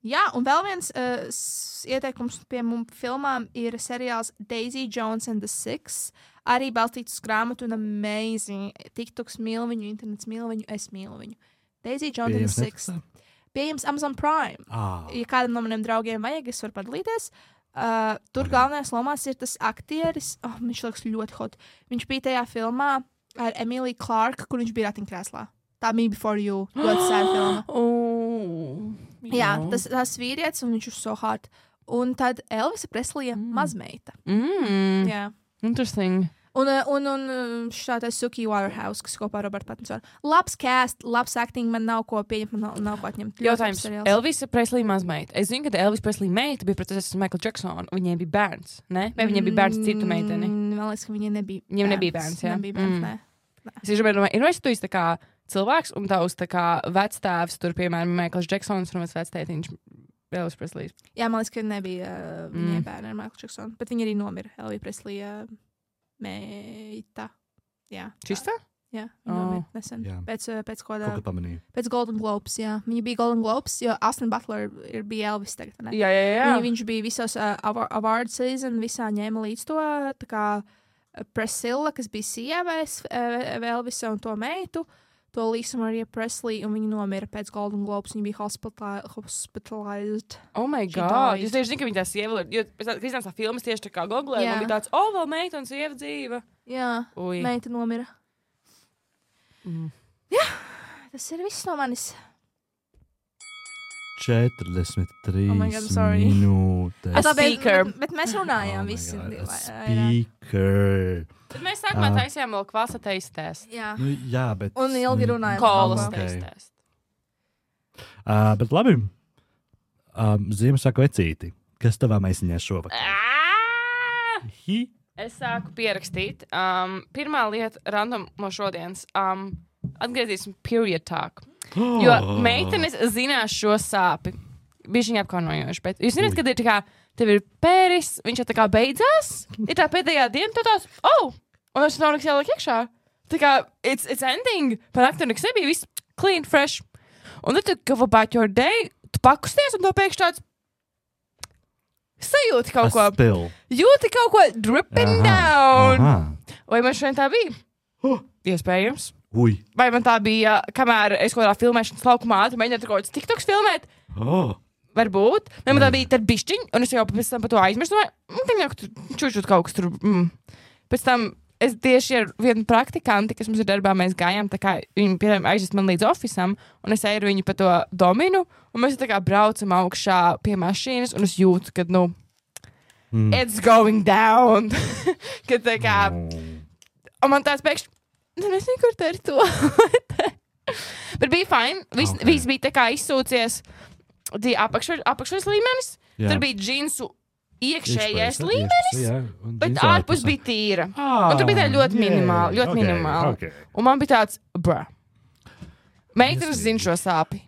Jā, un vēl viens ieteikums pie mums filmām ir seriāls Daisy Jones and the Six. Arī balstīts uz grāmatu un amazing. TikToks mīl viņu, internets mīl viņu, es mīlu viņu. Daisy Jones and the Six. Pieejams Amazon Prime. Ja kādam no maniem draugiem vajag, es varu padalīties. Tur galvenajās lomās ir tas aktieris, viņš liekas ļoti hot. Viņš bija tajā filmā ar Emiliju Clarke, kur viņš bija ratiņkrēslā. Tā Me Before You, ļoti sēra filma. Jā, tas vīrietis, un viņš ir so hot. Un tad Elvisa Preslija mazmeita. Jā. Interesting. Un šātais Suki Waterhouse, kas kopā ar Robertu Pattinsonu. Labs cast, labs acting, man nav ko pieņemt, man nav ko atņemt. Jautājums, Elvisa Preslija mazmeita. Es zinu, ka Elvisa Preslija meita bija precēsies ar Michael Jacksonu, viņiem bija bērns, ne? Vai viņiem bija bērns citu meiteni? Man liekas, ka viņiem nebija bērns. Viņiem nebija bērns, jā? Nebija bērns, nē. Es domāju, vai tu esi tā kā cilvēks, un tavs tā kā vectēvs, tur, piemēram, Michael Jacksons, un vectētiņš Elvis Preslijas. Jā, man liekas, ka nebija viņai bērni ar Michael Jacksonu, bet viņi arī nomira. Elvija Preslija meita. Jā. Čistā? Jā, nomira nesen. Jā. Pēc kādā... Kaut kā pamanīju. Pēc Golden Globes, jā. Viņa bija Golden Globes, jo Austin Butler bija Elvis tagad, ne? Jā. Viņš bija visos award season, visā ņēma līdz to, tā kā Priscilla, kas bija sieva Elvisa un to meitu, to Lisa Maria Presley, un viņa nomira pēc Golden Globes. Viņa bija hospitalized. Oh my God! Jūs tieši zinu, ka viņa tā sieva, jo pēc iznāca tā filmas tieši tā kā googlē, un bija tāds, vēl meita un sieva dzīva. Jā, meita nomira. Jā, tas ir viss no manis. 43 minūtes. Bet mēs runājām visi. Speaker. Tad mēs sākumā taisījām vēl kvasa teistēs. Jā. Jā, bet... Un ilgi runājām. Kolas teistēs. Bet labi. Ziemassvētku vecīti. Kas tavā maisiņā šovakar? Es sāku pierakstīt. Pirmā lieta random no šodienas. Atgriezīsim period talk. Jo meitenes zinās šo sāpi. Bija viņa apkaunojoši. Bet jūs zināt, kad ir tā kā, tev ir pēris, viņš jau tā kā beidzās. Ir tā pēdējā diena, tu tās, un es nav nekas jāliek iekšā. Tā kā, it's ending. Par nakti nekas nebija, viss clean, fresh. Un tad tu go about your day, tu pakusties, un to pēkšņi tāds sajūti kaut ko. Jūti kaut ko dripping down. Vai man šodien tā bija? Iespējams. Vai man tā bija, kamēr es kaut kādā filmēšanas laukumā ātri mēģinātu kaut kāds TikToks filmēt? Varbūt. Man tā bija tad bišķiņa, un es jau pēc tam par to aizmirstu. Čučut kaut kas tur. Pēc tam es tieši ar vienu praktikanti, kas mums ir darbā, mēs gājām, tā kā viņi, piemēram, aizvest man līdz ofisam, un es eju ar viņu pa to dominu, un mēs tā kā braucam augšā pie mašīnas, un es jūtu, ka, it's going down. Kad tā kā, un man tāds pēkšņi, nezinu, kur tā ir to. Bet bija fine, viss bija tā kā izsūcies, apakšais līmenis, tur bija džinsu iekšējais līmenis, bet ārpus bija tīra. Un tur bija tā ļoti minimāli. Okay. Un man bija tāds, meitenes zina šo sāpi.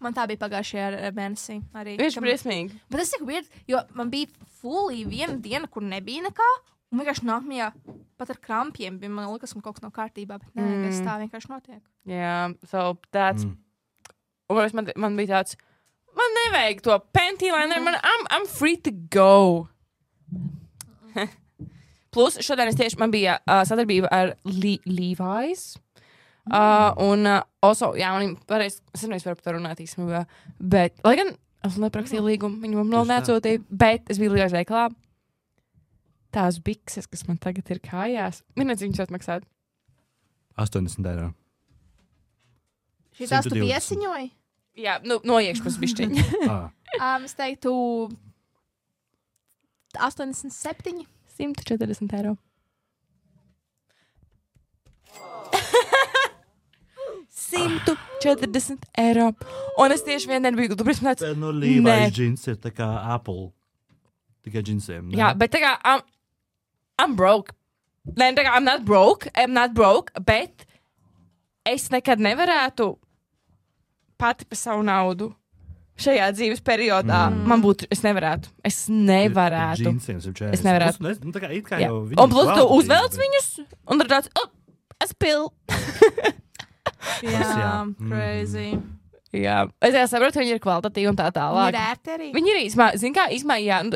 Man tā bija pagājušajā mēnesī arī. Viņš briesmīgi. Bet tas ir weird, jo man bija fully viena diena, kur nebija nekā, un vienkārši nākamajā pat ar krampiem bija, man liekas, ka kaut kas nav kārtībā, bet nē, kas tā vienkārši notiek. So that's... Un man bija tāds, man nevajag to panty-liner, I'm free to go. Plus, šodien man bija sadarbība ar Levi's. Un also, man pareiz, es nevis varu par to runāt īstenībā, bet, lai gan es neprakstīju līgumu, viņi man vēl neatsūtīja, bet es biju Levi's veikalā. Tās bikses, kas man tagad ir kājās, minēdz viņus atmaksāt? 80 eiro. Šitās tu piesiņoji? Jā, no iekšpus bišķiņi. Es teiktu 87. 140 eiro. 140 eiro. Un es tieši vienien biju dubrīsmēts. No Levi's džins ir tā kā Apple. Tikai džinsiem. Jā, bet tā kā I'm broke. Nē, tā kā I'm not broke, bet es nekad nevarētu pati pa savu naudu šajā dzīves periodā. Es nevarētu. Es nevarētu. Es nevarētu. Tā kā it kā jau viņi. Un plus tu uzvelc viņus, un tad tāds, es pilnu. Jā, crazy. Jā, es saprotu, viņi ir kvalitatīvi un tā tālāk. Viņi ir ērti arī. Viņi ir īsmā,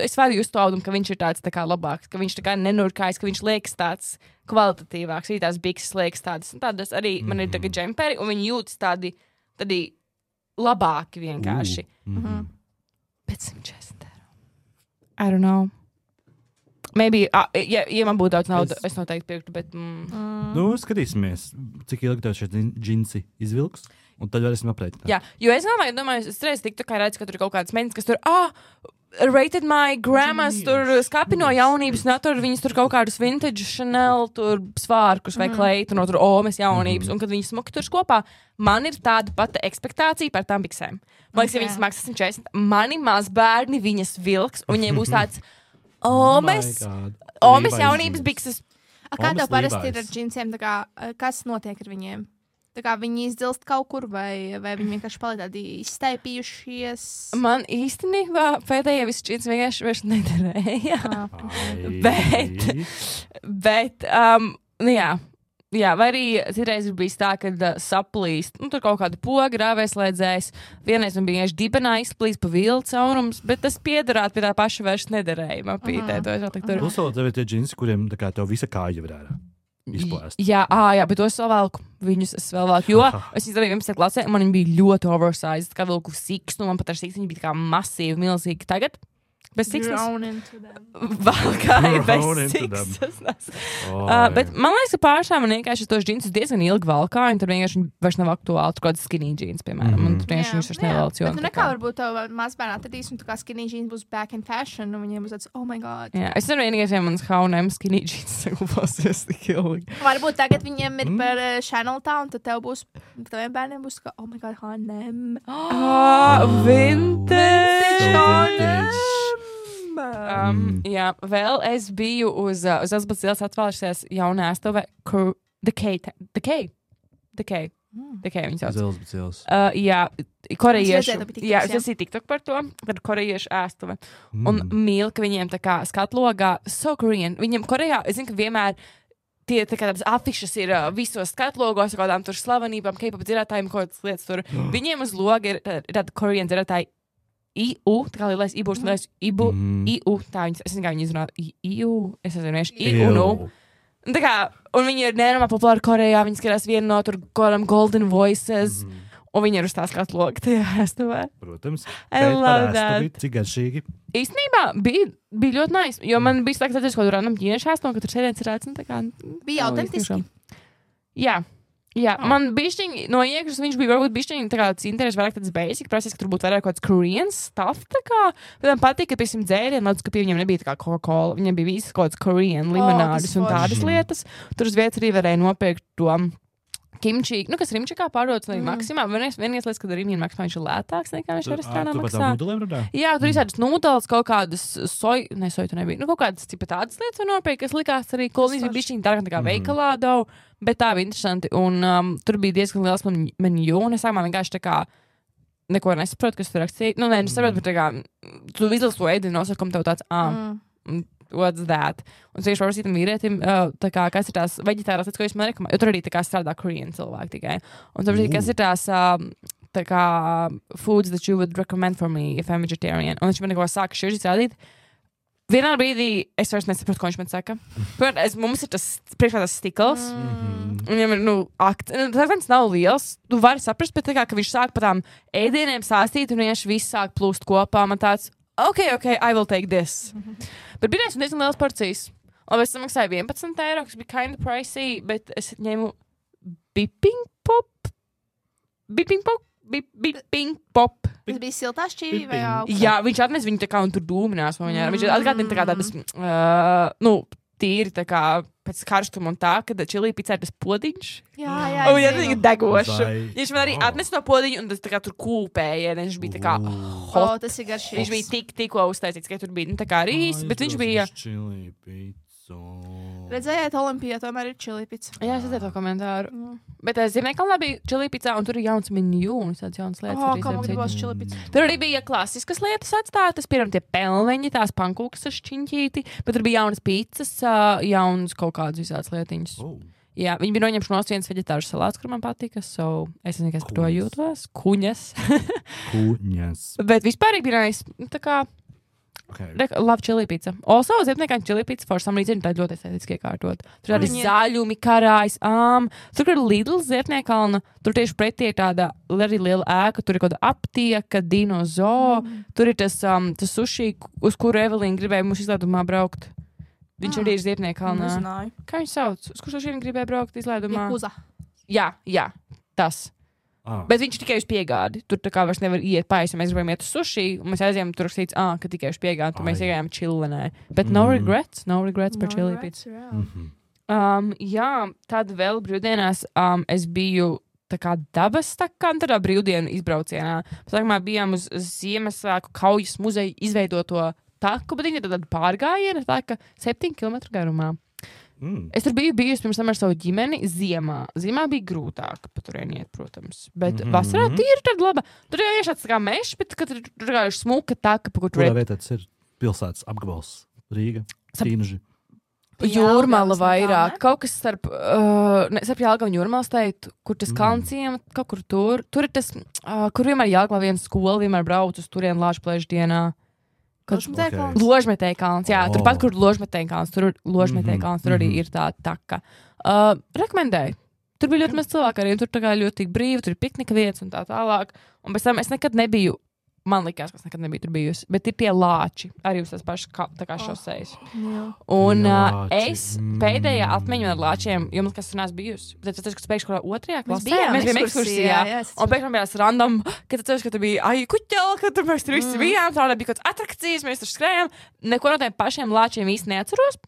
es varu just to audumu, ka viņš ir tāds tā kā labāks, ka viņš tā kā nenurkājas, ka viņš liekas tāds kvalitatīvāks, arī tās bikses liekas tādas arī, man ir tagad džemperi, un viņi jūtas tādi labāki vienkārši. Bet 140 eiro. I don't know. Maybe, ja man būtu daudz naudas, es noteikti pirktu, bet... Skatīsimies, cik ilgi tev šie džinsi izvilks. Un tad varēsim aprēķināt. Jā, jo es domāju, es reiz tiktu, kā redzu, ka tur ir kaut kādas meitenes, kas tur, rated my grandmas, tur skapi no jaunības, un tur viņas tur kaut kādus vintage Chanel, tur svārkus vai kleitu, no tur omes jaunības, un kad viņas smuki tur kopā, man ir tāda pati ekspektācija par tām biksēm. Man liekas, ja viņas maksā 140, mani mazbērni viņas vilks, un viņiem būs tāds omes jaunības bikses. Kā tev parasti ir ar džinsiem, kas notiek ar viņiem? Tā kā viņi izdilst kaut kur, vai viņi vienkārši paliek tādi izstaipījušies? Man īstenībā pēdējie visi džins vienkārši vairs nederēja. Bet, jā, vai arī citreiz ir bijis tā, kad saplīst, tur kaut kāda poga rāvēslēdzējs, vienreiz man bija vienkārši dibenā izplīst pa vilnu caurums, bet tas piederāt pie tā paša vairs nederēja. Plus vēl tev ir tie džinsi, kuriem tā kā tev visa kāja var ārā. Izplēst. Jā, bet tos vēl velku. Viņus es vēl velku, jo es izdarīju 11. klasē, un man bija ļoti oversized, kā vilku sikstu, man pat ar sikstu viņi bija tā kā masīvi, milzīgi. Tagad bez sikstas. Valkāja bez sikstas. Bet man liekas, ka pārstāv man vienkārši tos džinsus diezgan ilgi valkāja, un tur vienkārši vairs nav aktuāli. Tur kaut kāds skinny jeans, piemēram. Un tur vienkārši viņš vairs nevelc. Bet nekā varbūt tev mazbērnā atradīs, un tu kā skinny jeans būs back in fashion, un viņiem būs tāds, oh my god. Jā, es nevaru vienīgais, ja mans H&M skinny jeans saglabāsies tik ilgi. Varbūt tagad viņiem ir par Chanel tā, un tad tev būs, taviem bērniem būs kā, oh my god, H&M. Vintage H&M. Jā, vēl es biju uz Elizabeth ielas atvēlējusies jaunā ēstuve Decay viņa sauc. Uz Elizabeth ielas. Jā, korejiešu. Jā, es esmu TikTok par to, kad korejiešu ēstuve. Un mīl, ka viņiem tā kā skatlogā so Korean. Viņiem Korejā, es zinu, ka vienmēr tie tā kā tādas afišas ir visos skatlogos, kādām tur slavenībām, K-pop dzirētājiem, kaut kādas lietas tur. Viņiem uz loga ir tāda Korean dzirētāji IU, tā kā lielais IBU, IU, tā viņas, es nezinu, kā viņi izrunā, IU, es nezinu, IU, Tā kā, un viņi ir nenormāli populāri Korejā, viņi skatās vienu no tur Golden Voices, Un viņi ir uz tās kāds logi tajā ēstuvē. Protams. I love that. Cik garšīgi. Īstenībā bija ļoti nice, jo man bija slēgts redzēs, ko tur randam ķīniešu ēstuvu, ka tur sēdienas ir redzams. Bija autentiski. Jā, man bišķiņi no iekšas viņš bija varbūt bišķiņi tā kā tas interesi vairāk tāds basic, prasīs, ka tur būtu vairāk kaut kāds Korean stuff, tā kā. Bet man patīk, ka, piemēram, dzērieni, ledus, ka pie viņiem nebija tā kā Coca-Cola, viņiem bija visas kaut kāds Korean limonādes un tādas lietas. Tur uz vietas arī varēja nopirkt to kimči, kas Rimčikā pārdodas arī Maksimā. Vienīgais lietas, kad ar Rimčikā Maksimā viņš ir lētāks nekā viņš restorānā maksā. Jā, tur izsādas nūdeles, kaut kādas soju tu nebija. Kaut kādas tādas lietas var nopirkt, kas likās arī kolonijas bija bišķiņi dārgāk nekā veikalā dau, bet tā bija interesanti. Un tur bija diezgan liels menju, un es sākumā vienkārši tā kā neko nesaprotu, kas tur rakstīja. Nesaprotu, bet tā kā tu izlasi to ēdienu nosaukumu, tev tāds, what's that? Un es vienkārši prasīju tam vīrietim, tā kā, kas ir tās veģetārās lietas, ko jūs man rekomendējat, jo tur arī tā kā strādā Korean cilvēki tikai. Un tur kas ir tās tā kā foods that you would recommend for me if I'm vegetarian. Un viņš man neko sāka šķiržīt rādīt. Vienā brīdī es vairs nesaprotu, ko viņš man saka. Mums ir tas priekšā tas stikls. Un viņam ir, tas nav liels. Tu vari saprast, bet tā kā, ka viņš sāk pa tām ēdieniem sāstīt un vienkārši viss sāk plūst kopā. Man tāds, okay, I will take this. Bet bija diezgan liels porcijas. Un es samaksāju €11, kas bija kind of pricey, bet es ņēmu Bipping Pop. Tas bija siltā šķīvī vai augstā? Jā, viņš atnes viņu tā kā un tur dūminās. Viņš atgādina tā kā tādas, tīri tā kā pēc karstuma un tā, kad čili picā ir tas podiņš. Jā. Un viņš atnes degošu. Viņš man arī atnes to podiņu un tas tā kā tur kūpēja. Viņš bija tā kā hot. Tas ir garšīgs. Viņš bija tikko uztaisīts, ka tur bija tā kā rīs, bet viņš bija... Redzējāt, Olimpijā tomēr ir čili pica. Jā, es redzēju to komentāru. Bet Ziemeļkalnā bija čili pica, un tur ir jauns menju un tādas jaunas lietas. Kā man gribās čili pica? Tur arī bija klasiskas lietas atstātas, piemēram, tie pelmeņi, tās pankūkas ar šķiņķīti, bet tur bija jaunas picas, jaunas kaut kādas visādas lietiņas. Jā, viņi bija noņemši nost viens veģetārs salāts, kur man patika, es nezinu, kas par to jūtos. Kuņas. Bet vispār bija tā kā love chili pizza. Also, Ziepniekā chili pizza for some reason tā ļoti estētiski iekārtot. Tur arī zaļumi, karājs, tur ir Lidl Ziepniekalna, tur tieši pretī ir tāda arī liela ēka, tur ir kaut kāda aptieka, dinozo, tur ir tas sushi, uz kuru Evelīna gribēja mums izlaidumā braukt. Viņš arī ir Ziepniekalnā. Kā viņš sauc? Uz kur šodien gribēja braukt izlaidumā? Jakuza. Jā, tas. Bet viņš tikai uz piegādi. Tur tā kā vairs nevar iet paisi. Mēs gribējām iet uz sushi, un mēs aizējām tur rakstīts, ka tikai uz piegādi. Tur mēs iegājām čillenē. Bet no regrets par chili pizza. Jā, tad vēl brīvdienās es biju tā kā dabas takām, tādā brīvdienu izbraucienā. Sākumā bijām uz Ziemassvētku kaujas muzeju izveidoto taku, bet viņi ir tāda pārgājiena, tā ka 7 kilometru garumā. Es tur biju bijusi pirms tam ar savu ģimeni ziemā. Ziemā bija grūtāk paturieniet, protams. Bet vasarā tīri tad laba. Tur jau ir šāds kā mešs, bet tur ir smuka taka, pa kur tur ir. Kurā vietā tas ir pilsētas apgabals? Rīga, Tīnuži. Jūrmala vairāk. Kaut kas starp Jelgavu un Jūrmalas teikt, kur tas kalnciem, kaut kur tur. Tur ir tas, kur vienmēr Jelgavā viena skola, vienmēr brauc uz turien Lāčplēšu dienā. Ložmetēja kalns, jā, turpat, kur Ložmetēja kalns, tur arī ir tā taka. Rekomendēju. Tur bija ļoti maz cilvēku arī, un tur tā kā ļoti brīvi, tur ir piknika vietas un tā tālāk. Un pēc tam es nekad nebiju, man likās, ka es nekad nebiju tur bijusi, bet ir tie lāči, arī uz tās pašas tā kā šosejas. Un es pēdējā atmiņu ar lāčiem, jo man kas tur nās bijusi. Bet es teicu, ka pēkšņi kaut otrajā klasē. Mēs bijām ekskursijā. Un pēkšņi bija tās random, ka tu teici, ka tu bija kuķeli, ka tur mēs tur visi bijām, tā bija kaut kāds atrakcijas, mēs tur skrējām. Neko no tiem pašiem lāčiem īsti neatceros.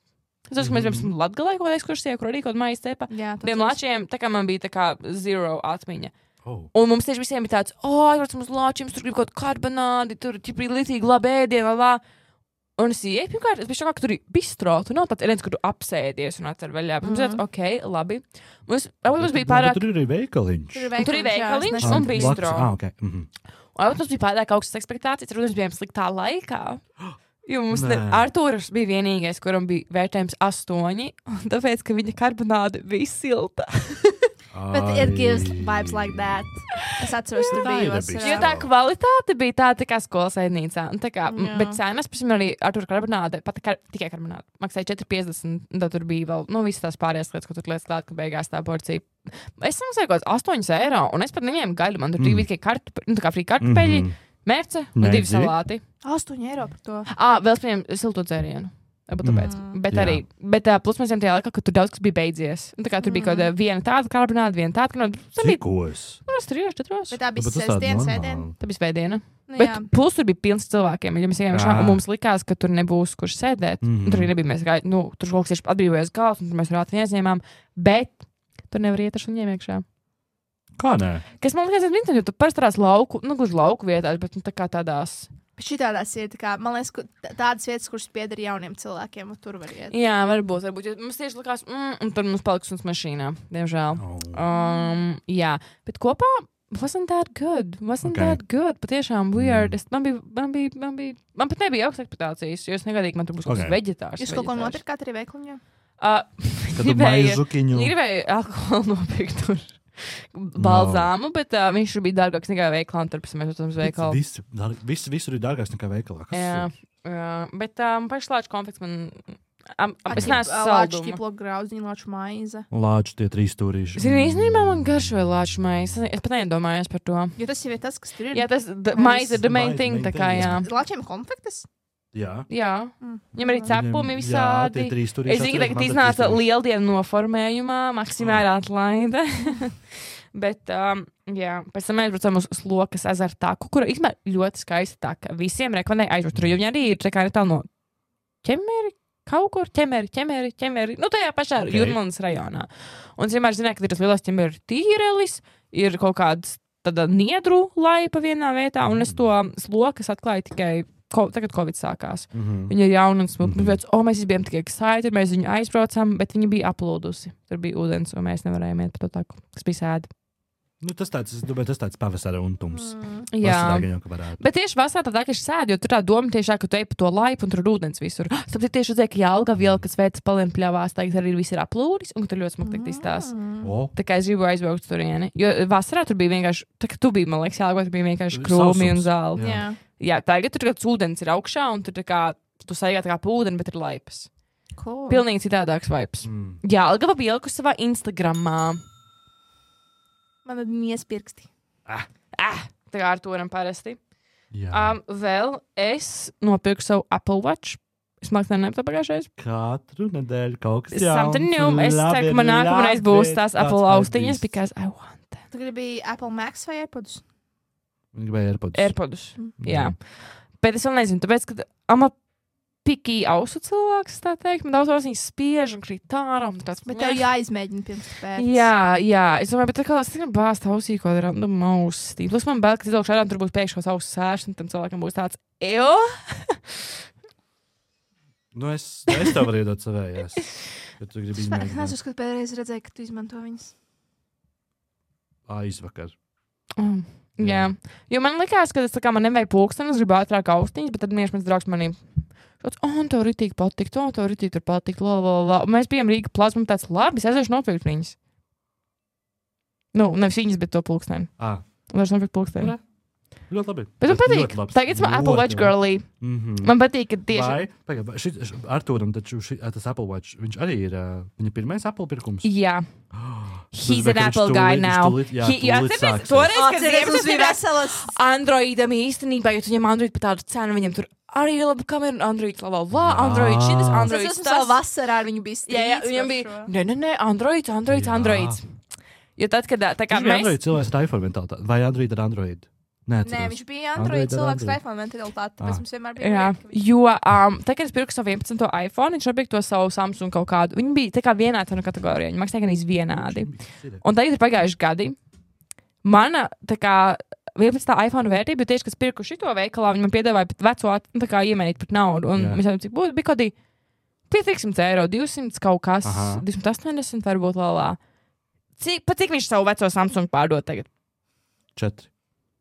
Es domāju, ka mēs bijām Latgalē kaut kādā ekskursijā, kur arī kaut mājas cepa. Tiem lāčiem, tā kā man bija tā kā zero atmiņa. Un mums tieši visiem bija tāds, aizvārds mums lāčiem, tur grib kaut karbonādi, tur bija litīgi labi ēdienu, Un es ieeju, pirmkārt, es biju šokā, ka tur ir bistro, tur nav tāds ēdiens, kur tu apsēdies un atcer vaļā. Mums tāds, labi. Mums bija pārāk... Tur ir arī veikaliņš. Tur ir veikaliņš un bistro. Un mums bija pārāk augstas ekspektācijas, tur mēs bijām sliktā laikā. Jo mums Artūrs bija vienīgais, kuram bija vērtējums 8, un tāpēc, ka viņa karbonāde bija silta. But it gives vibes like that. Es atceros, tur bija. Jo tā kvalitāte bija tā kā skolas ēdnīcā. Bet cenas, piemēram, arī Artūra karbonāde, pat tikai karbonāde, maksāja 4,50. Tad tur bija vēl, visas tās pārējās lietas, ko tur lietas klāt, ka beigās tā porcija. Es samaksāju kaut kāds 8 eiro, un es pat neņēmu gaļu. Man tur bija tikai frī kartupeļi, mērce un 2 salāti. 8 eiro par to. Vēl spējām silto dzērienu. Bet plus mēs ejam tajā laikā, ka tur daudz kas bija beidzies. Tur bija kaut kāda viena tāda karbonāde, viena tāda karbonāde. Cikos? 3, 4. Bet tā bija svētdiena. Tā bija svētdiena. Bet plus tur bija pilns cilvēkiem. Ja mēs ejam šā, un mums likās, ka tur nebūs kurš sēdēt. Tur arī nebija mēs gāju, tur kaut kas tieši atbrīvojas galvas, un tur mēs rātni ieņēmām. Bet tur nevar iet ar šuņiem iekšā. Kā nē? Kas man liekas, jo tu parasti tādās gluži lauku vietās, bet tā kā tādās. Šitādās ir, man liekas, tādas vietas, kuras pieder jauniem cilvēkiem, un tur var iet. Jā, varbūt. Jo mums tieši likās, un tur mums paliks uns mašīnā, diemžēl. Jā, bet kopā wasn't that good. Patiešām weird. Man pat nebija augstas ekspektācijas, jo es negadīju, ka man tur būs kaut kas veģetārs. Jūs kaut ko nopirkāt arī veikliņā? Gribēju alkoholu nopirkt tur. Balzāmu, bet viņš bija dārgāks nekā veikalā, un turpēc mēs uztams veikalu. Visur ir dārgāks nekā veikalā. Jā, bet pašlāču konfekts man... Es neesmu salduma. Lāču ķiplo graudziņu, lāču maize. Lāču tie 3 stūrīši. Zini, īstenībā man garšoja lāču maize. Es pat neiedomājos par to. Jo tas jau ir tas, kas tur ir. Jā, tas maize ir the main thing, tā kā jā. Lāčiem konfektes? Jā. Viņam arī cepumi visādi. Es zinu, ka iznāca lieldienu noformējumā, maksimāli atlaide. Bet, pēc tam mēs braucam uz Slokas ezeru taku, kura īstenībā ļoti skaista taka. Visiem rekomendēja aizbraukt tur, jo viņi arī ir tā netālu no ķemeri, kaut kur ķemeri. Tajā pašā Jūrmalas rajonā. Un es vienmēr zināju, ka ir tas lielais ķemeri tīrelis, ir kaut kāds tāda niedru laipa vienā vietā, un es to Slokas atklāju tikai tagad Covid sākās. Viņa ir jauna un smuka. Mēs bijām tikai excited, mēs viņu aizbraucam, bet viņa bija aplūdusi. Tur bija ūdens, un mēs nevarējām iet par to taku, kas bija sēdi. Tas tāds pavasara untums. Jā. Bet tieši vasarā tā, ka es sēdu, jo tur tā doma tieši ka tu ej pa to laipu un tur ir ūdens visur. Tāpēc tieši redzēju, ka Jelgava iela, kas veids palien pļavās, tagad arī viss ir aplūdis, un ka tur ļoti smuki izstās. Tā kā es gribu aizbraukt turieni. Jo vasarā tur bija vienkārši, tā kā tu biji, man liekas, Jelgava, tur bija vienkārši krūmi un zāli. Jā, tagad tur kāds ūdens ir augšā, un tur tā kā, tu saigā tā kā pa ūdeni, bet ir laipas. Cool. Pilnīgi citādāks vibes. Jelgava bija ielikusi savā Instagramā. Man ir miespirksti. Tā kā ar to varam parasti. Vēl es nopirku savu Apple Watch. Es mākslinieki nepatā pagājušais. Katru nedēļu kaut kas jauns. Es ceru, ka man nākamreiz būs tās Apple austiņas, because I want them. Tu gribi Apple Max vai AirPods? Viņi gribēja AirPods. Jā. Bet es vēl nezinu, tāpēc, ka ama pikī ausu cilvēks, tā teikt. Man daudz viņas spiež un krīt ārā. Bet tev jāizmēģina pirms pēc. Jā. Es domāju, bet tā kā es tikai bāzt ausī, ko random austi. Plus man bail, ka izlaukšu ārā, tur būs pēkšņos ausu sēšs, un tam cilvēkam būs tāds, es tev varu iedot savējās. Ja tu gribi izmēģināt. Es neesmu, kad pēdējais redzēju, ka tu izmanto viņas. Aizvakar. Jā. Jo man likās, ka tas man nevajag pulksteni, es gribu ātrāk austiņas, bet tad mans draugs manī tev ritīgi patikt, tev ritīgi tur patikt, Mēs bijām Rīga plazma, tāds labi, es aiziešu nopirkt viņas. Nevis viņas, bet to pulksteni. Vairs nopirkt pulksteni. Ļoti labi. Bet man patīk. Tagad man Apple Watch girly. Man patīk, ka tieši... Artūram taču tas Apple Watch, viņš arī ir viņa pirmais Apple pirkums. Jā. He's an Apple guy now. Toreiz, kad Ziemassvētku bija veselas Androidam īstenībā, jo tu ņem Android par tādu cenu, viņam tur arī ir laba kamera un Android, Android šitas, Android tas. Es esmu vasarā ar viņu bija strīds. Jā, viņam bija, nē, Android. Jo tad, kad tā kā mēs... Android cilvēks ar iPhone mentalitāti, vai Android ar Android? Nē, viņš bija Android cilvēks ar iPhone mentalitāti, tāpēc mums vienmēr bija. Jā, jo tā, kad es pirku savu 11. iPhone, viņš nopirka to savu Samsung kaut kādu. Viņi bija tā kā vienā cenu kategorijā, viņi maksāja gan vienādi. Un tagad ir pagājuši gadi. Mana, tā kā, 11. iPhone vērtība, jo tieši, kad es pirku šito veikalā, viņi man piedāvāja pat veco, tā kā iemainīt par naudu. Un mēs jau cik būtu, bija kaut kādi 500 eiro, 200 kaut kas, 280 varbūt lēlā. Cik viņš savu veco Samsung pārdod tagad? 4.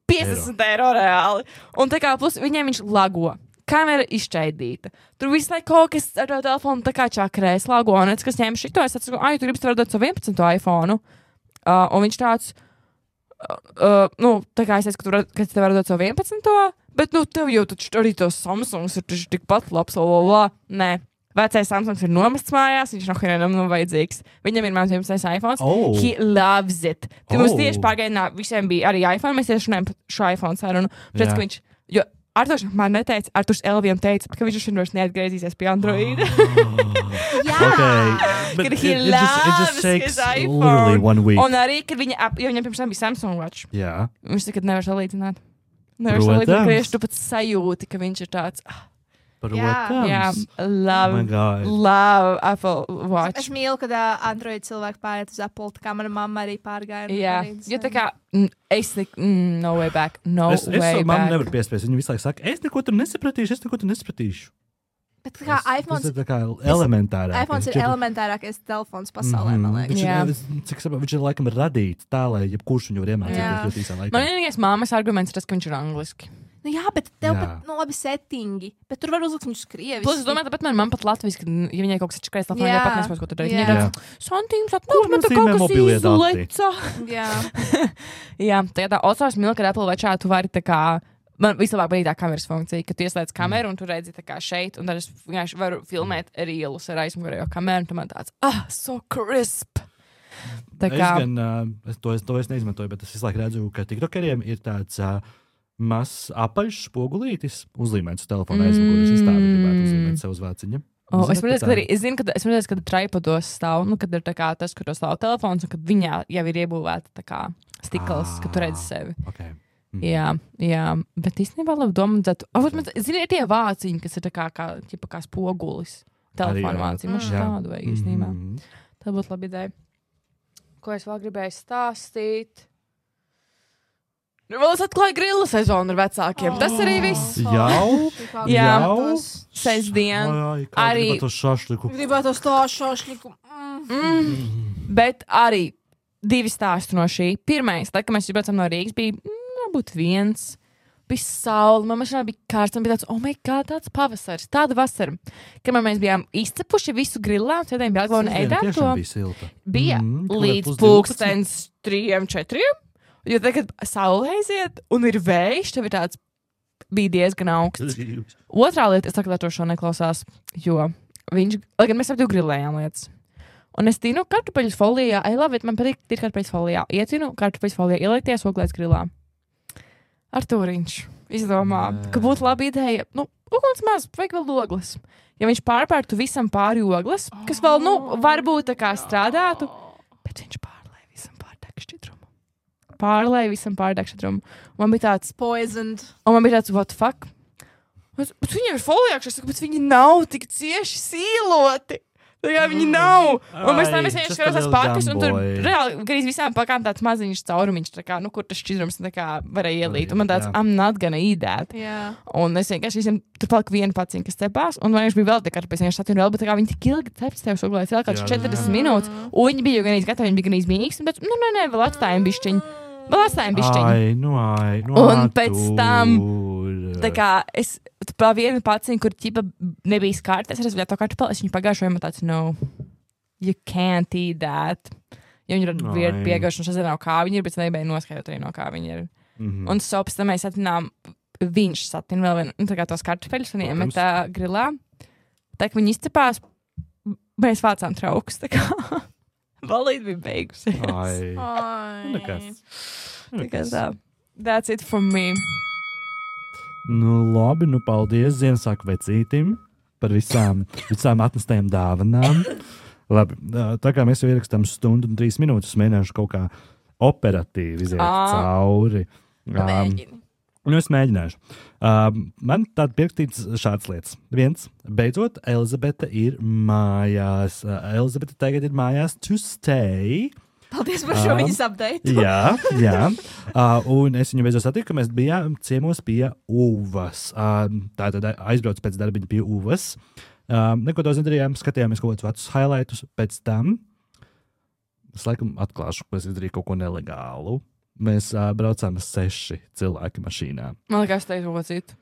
50 eiro reāli. Un tā kā plus viņiem viņš lago. Kamera izšķaidīta. Tur visu laiku kaut kas ar to telefonu tā kā čakrēs lago. Un es, kas ņēma šito, es atceru, tu gribi strādāt savu 11. iPhone. un viņš tāds, tā kā es teicu, ka tev var dot savu 11. Bet, tev jau taču arī tos Samsungs ir tikpat labs, Nē. Vecais Samsungs ir nomests mājās, viņš nav vajadzīgs. Viņam ir mans 11. iPhone. He loves it. Tad mums tieši pagaidinā visiem bija arī iPhone, mēs tieši runājam par šo iPhone sarunu. Pēc, ka viņš, jo Arturs man neteica, Arturs Elvijam teica, ka viņš vairs neatgriezīsies pie Android. Kad he loves his iPhone. Un arī, kad viņam pirms tam bija Samsung Watch. Viņš saka, ka nevar salīdzināt. Tu pat sajūti, ka viņš ir tāds... Protams. Love Apple Watch. Es mīlu, kad Android cilvēki pāriet uz Apple, tā kā mana mamma arī pārgāja. Jo tā kā, no way back, way back. Mamma nevar piespies, viņa visu laiku saka, es neko tur nesapratīšu. Bet kā iPhones... Tas ir tā kā elementārāk. iPhones ir elementārākais telefons pasaulē, man liekas. Cik sapratu, viņš ir laikam radīts tā, lai jebkurš viņu var iemācīties ļoti īsā laikā. Man vienīgais māmas arguments ir tas, ka viņš ir angliski. Jā, bet tev pat labi settingi. Bet tur var uzlikt viņus krieviski. Plus, es domāju, tāpat man pat latviski, ja viņai kaut kas ir čakrais telefonā, ja pat nespēs, ko tur darīt. Viņa ir santīms, atnāk, man tā kaut kas izleca. Jā, tā Osārs mīl, kad Apple Watchā tu vari tā kā, man vislabāk patīk tā kameras funkcija, ka tu ieslēdz kameru un tu redzi tā kā šeit, un tad es vienkārši varu filmēt rielus ar aizmugurējo kameru, un tu man tāds, so crisp. Tā kā... Es to neizmantoju, bet es visu laiku redzu, ka tiktokeriem ir tāds... mazs apaļš spogulītis uzlīmēts uz telefona aizmugures. Es tādu gribētu uzlīmēt sev uz vāciņa. Es zinu, ka tripodos stāv, kad ir tā kā tas, kur to stāv telefons, un kad viņā jau ir iebūvēta tā kā stikls, ka tu redzi sevi. Okay. Jā, bet īstenībā labi domātu. Zini, ir tie vāciņi, kas ir tā kā spogulis. Telefona vāciņi. Mums tādu vajag īstenībā. Tā būtu laba ideja. Ko es vēl gribēju stāstīt? Vēl es atklāju grilla sezonu ar vecākiem. Tas arī viss. Jau? Sestdien. Arī gribētu to šašliku. Bet arī 2 stāstu no šī. Pirmais, tad, kad mēs braucam no Rīgas, bija varbūt 1. Bija saule, man mašīnā bija kārsts, un bija tāds, oh my god, tāds pavasaris, tāda vasara. Kad mēs bijām izcepuši visu grillā, un sēdējām Belgā un ēdām to. Bija līdz pulkstens 3-4. Jo tagad saule aiziet, un ir vējš, tev ir tāds, bija diezgan augsts. Otrā lieta, es saku, ka to šo neklausās, jo viņš, lai gan mēs ap 2 grillējām lietas. Un es tinu kartupeļus folijā, man patīk ir kartupeļus folijā. Ietinu kartupeļus folijā, ieliekties oglēs grillā. Artūriņš izdomā, ka būtu laba ideja, uguns maz, vajag vēl ogles. Ja viņš pārpērtu visam pāri ogles, kas vēl, varbūt tā kā strādātu, bet viņš pārlēja visam pār degšķidrumu. Pārlēja visam pārdegšķidrumu. Man bija tāds poisoned. Un man bija tāds, what the fuck? Bet viņiem ir folijākšas, bet viņi nav tik cieši sīloti. Tā kā viņi nav. Un mēs tam vienkārši skatās pakas, un tur reāli garīz visām pakām tāds maziņš caurumiņš, tā kā, kur tas šķidrums tā kā varēja ielīt. Un man tāds, I'm not gonna eat that. Un es vienkārši visiem, tur palika viena paciņa, kas cepās, un vienkārši bija vēl tā kartupeļs, vienkārši satinu vēl, bet tā kā viņi tik ilgi ceps tev suglēs vēl kāds 40 minūtes, un viņi bija jau ganīz gatavi, viņi bija ganīz mīgs, un tāds, nē, vēl atstājam bišķiņu. Un pēc tam, tā kā es pa vienu paciņu, kur ķipa nebija skārta, es rezultātu to kartupeli, es viņu pagājušoju, man tāds, no, you can't eat that. Ja viņi ir viedi piegājuši, un šeit nav kā viņi ir, bet es nebēju noskaidrot arī no kā viņi ir. Un pēc tam mēs satinām, viņš satina vēl vienu, tā kā tos kartupeļus, un iemetā grilā. Tā kā viņi izcepās, mēs vācām traukus, tā kā. Valīdi bija beigusies. Nekas. That's it for me. Labi, paldies Ziemassvētku vecītim par visām atnestajām dāvanām. Labi, tā kā mēs jau ierakstām 1 stundu un 3 minūtes, mēģināšu kaut kā operatīvi iziet cauri. Es mēģināšu. Man tāda pierakstīts šādas lietas. 1. Beidzot, Elizabete ir mājās. Elizabete tagad ir mājās to stay. Paldies par šo viņas update. Jā. Un es viņu beidzot satiku, ka mēs bijām ciemos pie Uvas. Tātad aizbraucu pēc darbiņa pie Uvas. Neko daudz nedarījām, skatījāmies kaut kādus vecus highlightus. Pēc tam es laikam atklāšu, ka es izdarīju kaut ko nelegālu. Mēs braucām 6 cilvēki mašīnā. Man liekas, teicu ocīt.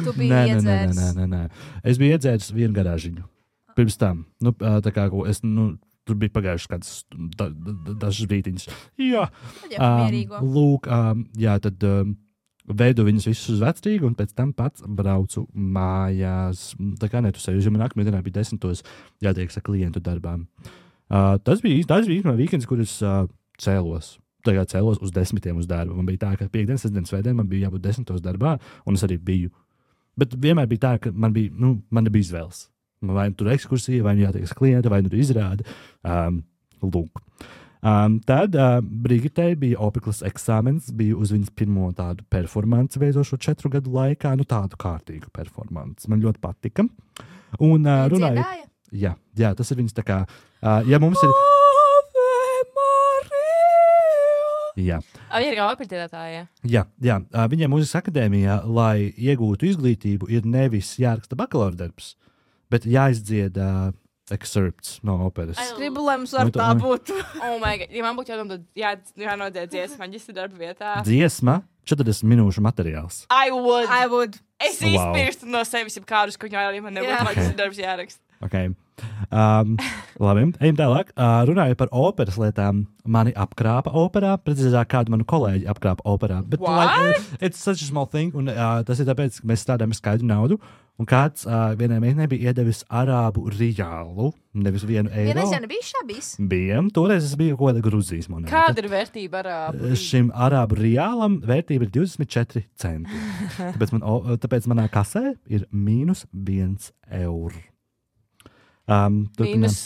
Tu biji iedzēris. Nē. Es biju iedzēris vienu garāžiņu. Pirms tam. Tā kā es tur bija pagājušas kādas dažas brītiņas. Jā, lūk, tad veidu viņus visus uz vecrīgu, un pēc tam pats braucu mājās. Tā kā netusēju, jo man nākamajā dienā bija 10. jātiek sa klientu darbām. Tas bija īstenībā weekends, kur es cēlos. Tagad cēlos uz 10 uz darbu. Man bija tā, ka piekdienas, sestdienas, svētdien man bija jābūt 10 darbā, un es arī biju. Bet vienmēr bija tā, ka man nebija izvēles. Vai nu tur ekskursija, vai nu jātiek klienta, vai nu tur izrāda. Lūk. Tad Brigitei bija opiklas eksāmens, bija uz viņas pirmo tādu performanci veidošo 4 gadu laikā, tādu kārtīgu performanci. Man ļoti patika. Un runāju. Jā, tas ir viņas tā kā, ja mums ir. Jā. Viņa ir kā operatīvētāja. Jā. Viņiem mūzikas akadēmijā, lai iegūtu izglītību, ir nevis jāraksta bakalaura darbs, bet jāizdzied excerpts no operas. Es gribu, lai mums var tā būt. Oh my God. Ja man būtu jānodzied dziesma maģistra darba vietā. Dziesma, 40 minūšu materiāls. I would. Es izpirstu no sevis kādus, ko viņai man nebūtu maģistra darbs jāraksta. Okay. Labi, ejam tālāk. Runājot par operas lietām, mani apkrāpa operā, precīzāk kādu manu kolēģi apkrāpa operā. Bet, it's such a small thing, un tas ir tāpēc, ka mēs strādājam ar skaidru naudu, un kāds vienai meitenei bija iedevis arābu riālu, nevis €1. Vienreiz jau nebija šabīs? Bija, toreiz es biju kaut kāda Gruzijas monēta. Kāda ir vērtība arābu? Šim arābu riālam vērtība ir 24 centi. Tāpēc manā kasē ir -€1. Mīnus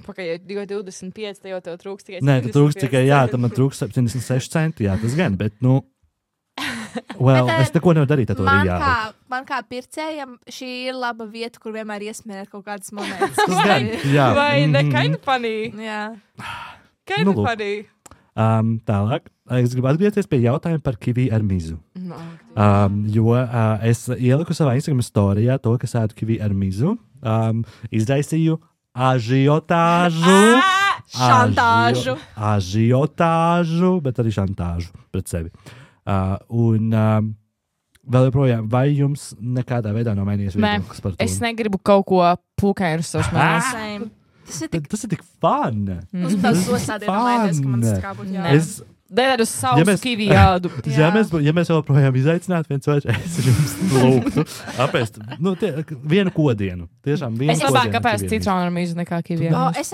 pakaļ 2,25, tad jau tev trūks tikai 75 centi. Nē, tu trūks tikai, tam trūks 76 centi, tas gan, bet, es neko nevaru darīt ar to riālu. Man kā pircējam, šī ir laba vieta, kur vienmēr iesmērēt kaut kādas monētas. Vai ne, kind of funny. Jā. Kind of funny. Tālāk, es gribu atgriezties pie jautājuma par kivi ar mizu. Jo es ieliku savā Instagram storijā to, ka sēdu kivi ar mizu, izraisīju ažiotāžu, bet arī šantāžu pret sevi. Un vēl joprojām, vai jums nekādā veidā nav mainījies viedoklis par to? Es negribu kaut ko pūkainu savus mēlus. Tas ir tik fun. Mums tas sosādien mainās, ka man tas kā būtu jābūt. Dēļ uz savu kivi jādu. Ja mēs joprojām izaicinātu viens otru, es jums lūgtu apēst vienu kodienu. Tiešām vienu kodienu. Es labāk apēst citronu ar mīzu nekā kivi. Es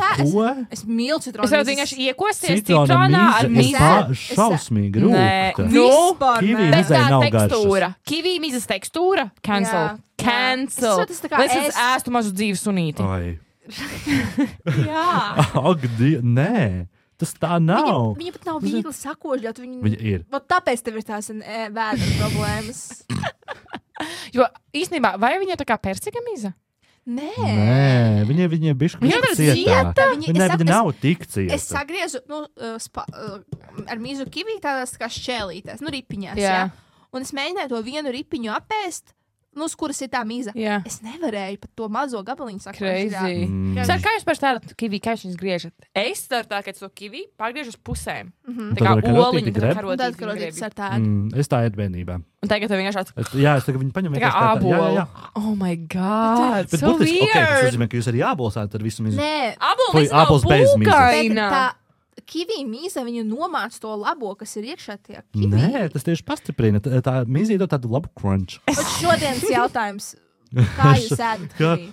mīlu citronu. Es jau vienkārši iekosties citronā ar mīzu. Šausmīgi rūkta. Kivi mizai nav garšas. Kivi mizas tekstūra. Cancel. Es ēstu mazu dzīves sunīti. Jā. Ak, nē. Tas tā nav. Viņa pat nav viegli sakožļot. Viņa ir. Tāpēc tev ir tās vēdra problēmas. Jo īstenībā, vai viņa ir tā kā persika miza? Nē. Viņa ir bišķi cietā. Viņa nav tik cieta. Es sagriezu ar mizu kivi tādās kā šķēlītēs, ripiņās. Jā. Un es mēģināju to vienu ripiņu apēst. Uz kuras ir tā miza. Jā. Es nevarēju pat to mazo gabaliņu sakot. Crazy. Kā jūs par tādu kivi, kā jūs griežat? Es daru tā, ka es to kivi pārgriežu uz pusēm. Tā kā oliņu, tā kā karotītes ar tādu. Es tā ir bērnībā. Un tagad tev vienkārši tāds. Jā, es tagad viņu paņemu. Tā kā ābolu. Jā. Oh my God, bet so weird. Tas nozīmē, ka jūs arī ābolsāt ar visu mizu. Nē. Ābols bez mizas. Kivi mīza viņu nomāc to labo, kas ir iekšā tajā kivi. Nē, tas tieši pastiprina. Tā mīza ir tādu labu crunch. Bet šodienas jautājums. Kā jūs ēdat kivi?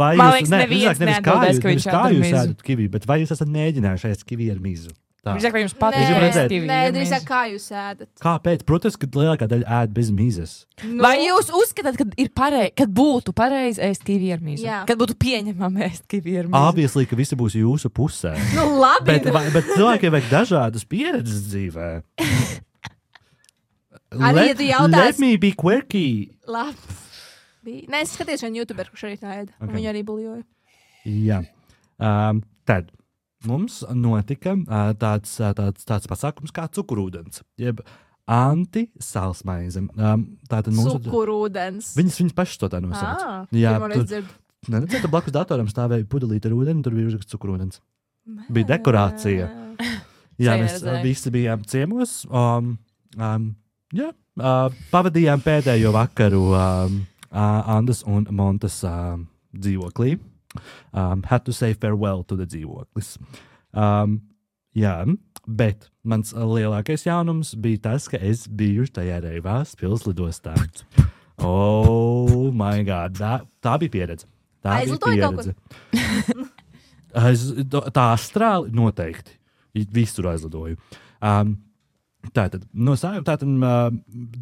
Vai jūs, nevis kā jūs ēdat kivi, bet vai jūs esat mēģinājuši ēst kivi ar mizu? Drīzāk, vai jums patīk ēst kivi? Nē, drīzāk, kā jūs ēdat? Kāpēc? Protams, ka lielākā daļa ēd bez mizas. Vai jūs uzskatāt, kad būtu pareizi ēst kivi ar mizu? Jā. Kad būtu pieņemami ēst kivi ar mizu? Obviously, ka visi būs jūsu pusē. Labi. Bet cilvēkiem vajag dažādas pieredzes dzīvē. Let me be quirky. Labi. Nē, es skatījos vienu YouTuberu, kurš arī tā ēda. Okay. Viņu arī buljoja. Jā. Tad mums notika tāds pasākums kā cukurūdens, jeb anti-salsmaize. Cukurūdens. Viņas pašas to tā nosauc. Jā, tur blakus datoram stāvēja pudelīte ar ūdeni, tur bija uzraksts cukurūdens. Bija dekorācija. Jā, mēs visi bijām ciemos. Pavadījām pēdējo vakaru Andas un Montas dzīvoklī. Had to say farewell to the dzīvoklis. Jā, bet mans lielākais jaunums bija tas, ka es biju tajā Reivās pilslidostā. Oh, my God. Tā bija pieredze. Aizlidoja kaut kur? Tā astrāli noteikti. Visur aizlidoju. Tātad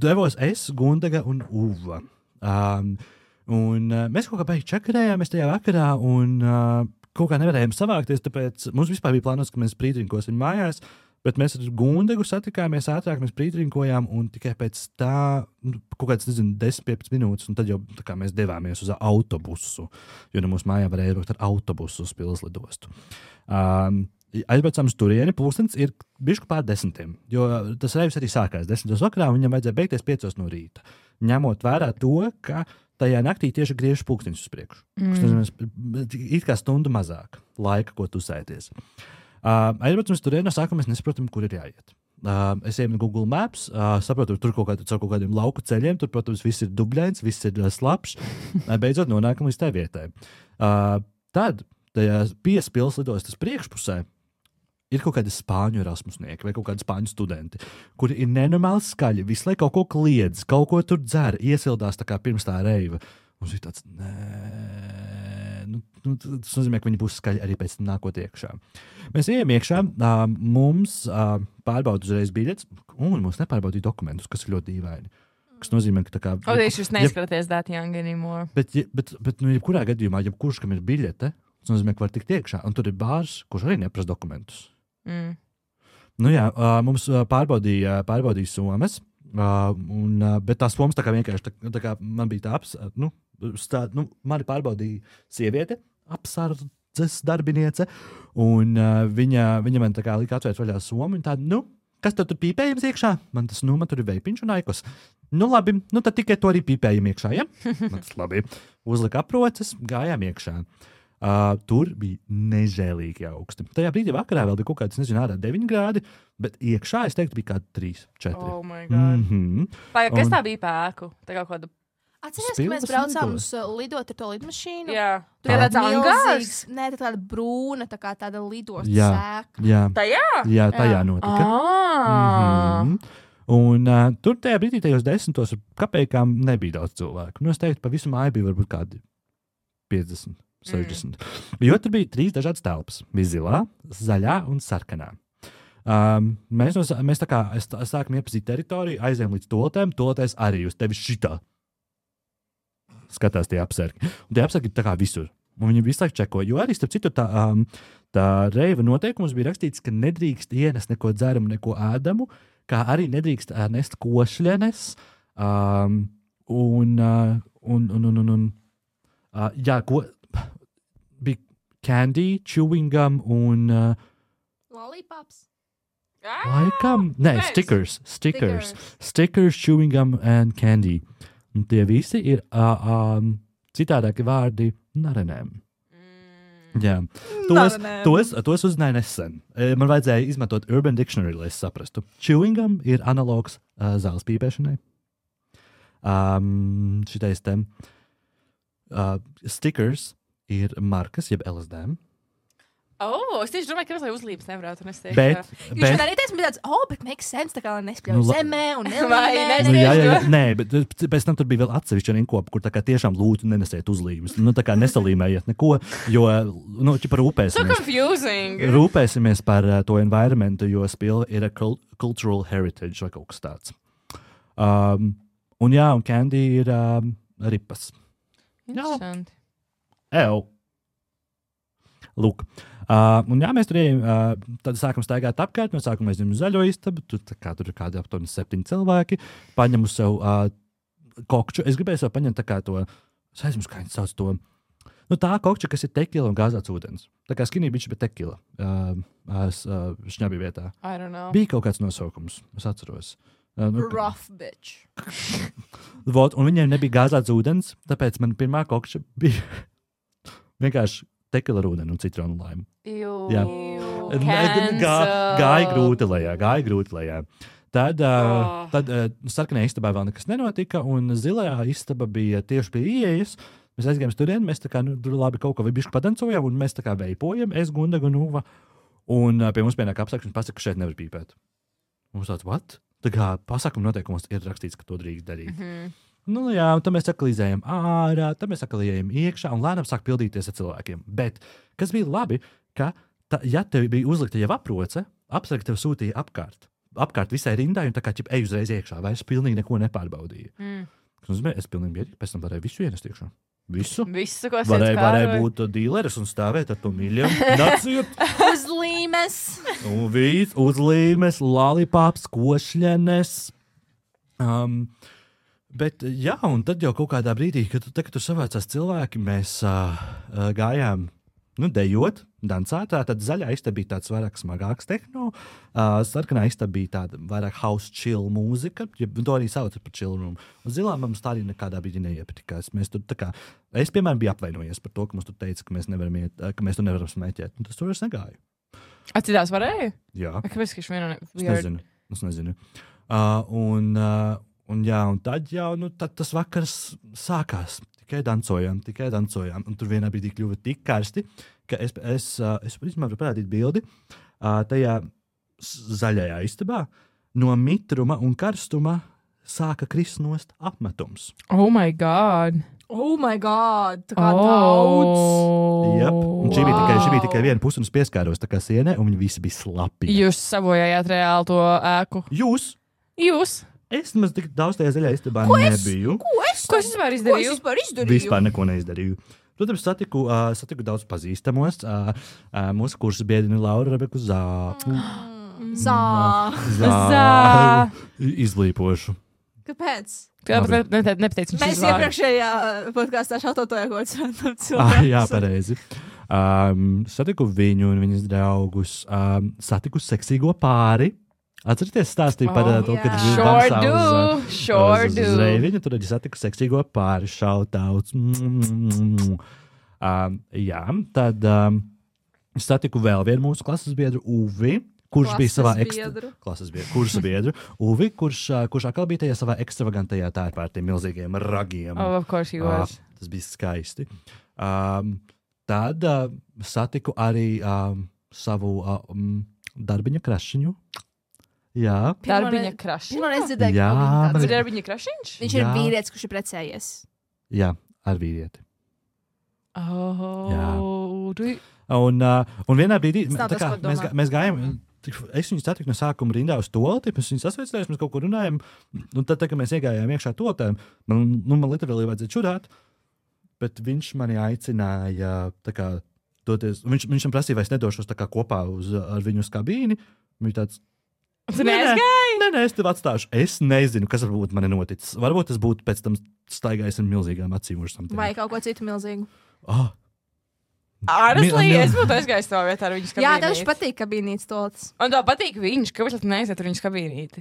devos es, Gundaga un Uva. Un mēs kaut kā beigi čakarējāmies tajā vakarā un kaut kā nevarējām savākties, tāpēc mums vispār bija plānots, ka mēs prītrinkosim mājās, bet mēs ar Gundagu satikāmies ātrāk, mēs prītrinkojām un tikai pēc tā, kaut kāds, 10-15 minūtes, un tad jau tā kā mēs devāmies uz autobusu, jo mūsu mājā varēja braukt ar autobusu uz pilslidostu. Aizbraucām uz turieni, pulkstenis ir bišķi pār 10, jo tas reivs arī sākās 10 vakarā, un viņam vajadzēja beigties 5 no rīta. Ņemot vērā to, ka tajā naktī tieši griežas pulkstenis uz priekšu. It kā stundu mazāk laika, ko tusēties. Aizbraucam uz turieni, no sākuma mēs nesaprotam, kur ir jāiet. Es ejam Google Maps, saprotu, tur kaut kādiem lauku ceļiem, tur, protams, viss ir dubļains, viss ir slapšs. Beidzot nonākam līdz tai vietai. Tad tajā pilslidostas priekšpusē ir kaut kādi spāņu erasmusnieki vai kaut kādi spāņu studenti, kuri ir nenormāli skaļi, visu laiku kaut ko kliedz, kaut ko tur dzer, iesildās tā kā pirms tā reiva. Mums ir tāds, tas nozīmē, ka viņi būs skaļi arī pēc tam nākot iekšā. Mēs ejam iekšā, mums pārbauda uzreiz biļetes, un mums nepārbaudīja dokumentus, kas ir ļoti dīvaini. Kas nozīmē, ka tā kā... Jūs neizskatāties that young anymore. Bet jebkurā gadījumā, jebkurš, kam ir biļete, tas nozīmē, ka var tikt iekšā, un tur ir bārs, kurš arī neprasa dokumentus. Nu jā, mums pārbaudīja somas, bet tās somas tā kā vienkārši, tā kā man bija tāds, mani pārbaudīja sieviete, apsardzes darbiniece, un viņa man tā kā lika atvērt vaļā somu, un tāda, kas tur pīpējams iekšā? Man tur ir veipiņš un aikos. Labi, tad tikai to arī pīpējam iekšā, ja? Tas labi. Uzlika aproces, gājām iekšā. Tur bija nežēlīgi augsti. Tajā brīdī vakarā vēl bija kaut kāds, ārā 9 grādi, bet iekšā, es teiktu, bija kādi 3, 4. Oh my God. Kas tā bija pēku? Tā kā kāda... Atceries, ka mēs braucām uz lidot ar to lidmašīnu? Jā. Tur ir tāds angārs? Nē, tā tāda brūna, tā kā tāda lidostas sēka. Jā. Tajā? Jā, tajā notika. Un tur tajā brīdī, tajos 10 ar kapējām nebija daudz cilvēku. Es teiktu, pa visu māju bija varbūt kādi 50. 60. Jo tur bija 3 dažādas telpas. Bija zilā, zaļā un sarkanā. Mēs tā kā sākam iepazīt teritoriju, aizējām līdz toaletēm, toaletēs arī uz tevi šitā. Skatās tie apsargi. Un tie apsargi ir tā kā visur. Un viņi visu laiku čeko. Jo arī, starp citu, tā reiva noteikums bija rakstīts, ka nedrīkst ienest neko dzeramu, neko ēdamu, kā arī nedrīkst nest košļenes. Bija candy, chewing gum un... Lollipops? Laikam? Nē, stickers. Stickers, chewing gum and candy. Un tie visi ir citādāki vārdi narenēm. Jā. Tos uzzināju nesen. Man vajadzēja izmantot Urban Dictionary, lai es saprastu. Chewing gum ir analogs zāles pīpēšanai. Šitais te stickers ir markas, jeb LSD. Es tieši domāju, ka lai uzlības nevarētu nest. Bet man arī teica, tāds, bet makes sense, tā kā lai nespļauj zemē un nelīmē. Nē, bet pēc tam tur bija vēl atsevišķi rinkopa, kur tā kā tiešām lūdzu nenesiet uzlības. Tā kā nesalīmējiet neko, jo, par rūpēsimies. So confusing. Rūpēsimies par to environmentu, jo spila ir a cultural heritage vai kaut kas tāds. Un candy ir ripas. Interesanti. Lūk. Mēs tur ejam, tad sākam staigāt apkārt, mēs sākam aizņemt zaļo istabu, tur ir kādi aptuveni 7 cilvēki, paņemu sev kokču, es gribēju sev paņemt tā kā to, es aizmirsu, kā viņi sauc to, tā kokča, kas ir tekila un gāzēts ūdens, tā kā skinny bitch, bet tekila, šņabī vietā. I don't know. Bija kaut kāds nosaukums, es atceros. Rough bitch. Un viņiem nebija gāzēts ūdens, tāpēc man pirmā kokča bija vienkārši tekila ar ūdeni un citronu laimu. Jā. Gāja grūti lejā. Tad sarkanajā istabā vēl nekas nenotika, un zilajā istaba bija tieši pie ieejas. Mēs aizgājām turieni, mēs tā kā tur labi kaut ko bišķi padancojām, un mēs tā kā veipojam, es, Gundaga un Uva. Un pie mums pienāk apsakš un pasaka, ka šeit nevar pīpēt. Mums tāds, what? Tā kā pasakuma noteikumos ir rakstīts, ka to drīkst darīt. Nu jā, un tad mēs sakalīzējam ārā, tad mēs sakalījām iekšā, un lēnām sāk pildīties ar cilvēkiem. Bet, kas bija labi, ka, ja tev bija uzlikta jau aproce, apsargi tev sūtīja apkārt visai rindai, un tā kā ej uzreiz iekšā, vairs pilnīgi neko nepārbaudīja. Es pilnīgi mierīgi, pēc tam varēju visu ienest iekšā. Visu, ko varēja būt dīleris un stāvēt ar to miljonu. Naciet! Uzlīmes! Uzlīmes, lalipops, košļenes. Bet jā, un tad jau kaut kādā brīdī, kad tur savācās cilvēki, mēs gājām dejot, dancāt. Tad zaļā istaba bija tāds vairāk smagāks tehno, sarkanā istaba bija tāda vairāk house chill mūzika, to arī sauc par chill room. Un zilā mums tā arī nekādā brīdī neiepatikās. Mēs tur tā kā, es, piemēram, biju apvainojies par to, ka mums tur teica, ka mēs nevaram iet, ka mēs tur nevaram smēķēt. Un tas tur vairs negāja. Citās varēja? Jā. Kāpēc, ka vienā Es nezinu. Un tad jau, tad tas vakars sākās. Tikai dancojām. Un tur vienā brīdī kļuva tik karsti, ka es varu parādīt bildi. Tajā zaļajā istabā no mitruma un karstuma sāka krist nost apmetums. Oh my God! Tā kā daudz! Jep. Un šī bija tikai viena puse, un es pieskāros tā kā sienē, un viņi visi bija slapi. Jūs sabojājāt reāli to ēku? Jūs? Es nemaz tik daudz tajā zaļajā istabā nebiju. Ko es vispār izdarīju? Vispār neko neizdarīju. Protams, satiku daudz pazīstamos. Mūsu kursa biedrini Laura Rebeku Zā. Izlīpošu. Kāpēc? Nepateicu, mēs iepriekšējā podkāstā šautotojā kaut kāds cilvēks. Jā, pareizi. Satiku viņu un viņas draugus. Satiku seksīgo pāri. Atcerieties, stāstīju par to, kad viņš dansā uz Reiviņu. Tur arī satiku seksīgo pāri, šautauts. Jā, tad satiku vēl vienu mūsu klases biedru, Uvi, kurš bija savā kursa biedru. Uvi, kurš atkal bija tajā savā ekstravagantajā tērpā ar tiem milzīgiem ragiem. Oh, of course he was. Tas bija skaisti. Tad satiku arī savu darbiņa krašiņu. Jā. Darbiņa krašiņš. Man nedzirdēja, ka viņš tāds ir darbiņa krašiņš? Viņš ir vīrietis, kurš ir precējies. Jā, ar vīrieti. Jā. Un vienā brīdī mēs gājām, es viņu satiku no sākuma rindā uz tolti, mēs viņu sasveicinājām, mēs kaut ko runājam, un tad, kad mēs iegājām iekšā toltēm, man literāli vajadzēja čurāt, bet viņš mani aicināja tā kā doties, viņš man prasīja, vai es nedošos tā kā kopā ar viņu uz kabīni, viņš tāds, Tu neaizgāji? Nē, es tev atstāšu. Es nezinu, kas varbūt man ir noticis. Varbūt tas būtu pēc tam staigājis ar milzīgām acīm. Vai kaut ko citu milzīgu. Honestly, es būtu aizgājis savā vietā ar viņas kabīnīti. Jā, tev patīk kabīnītes tolts. Un tev patīk viņš, kāpēc tu neaiziet ar viņas kabīnīti?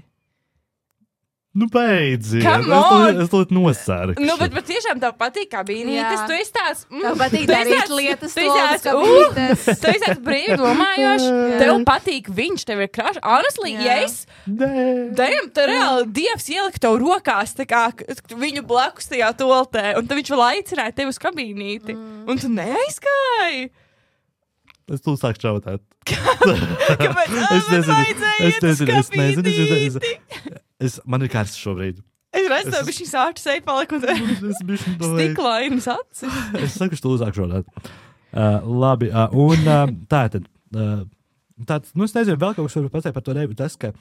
Nu, beidziet. Es to nosārku. Nu, bet tiešām tev patīk kabīnītes. Tu esi tāds... Tev patīk darīt lietas toltas kabīnītes. Tu esi tāds brīvi domājošs. Tev patīk viņš, tev ir krašs. Honestly, ja es... Damn, tu reāli Dievs ielika tev rokās tā kā viņu blakus tajā toltē. Un tad viņš vēl aicināja tevi uz kabīnīti. Un tu neaizgāji. Es tu sāku šautāt. Kāpēc? Es nezinu. Man ir kārsts šobrīd. Es redzu, ka viņš sāču seju paliku un stiklainas acis. Es saku, ka tu uzāk šodāt. Labi, un tātad, es nezinu, vēl kaut kas varu pateikt par to reibu, tas, ka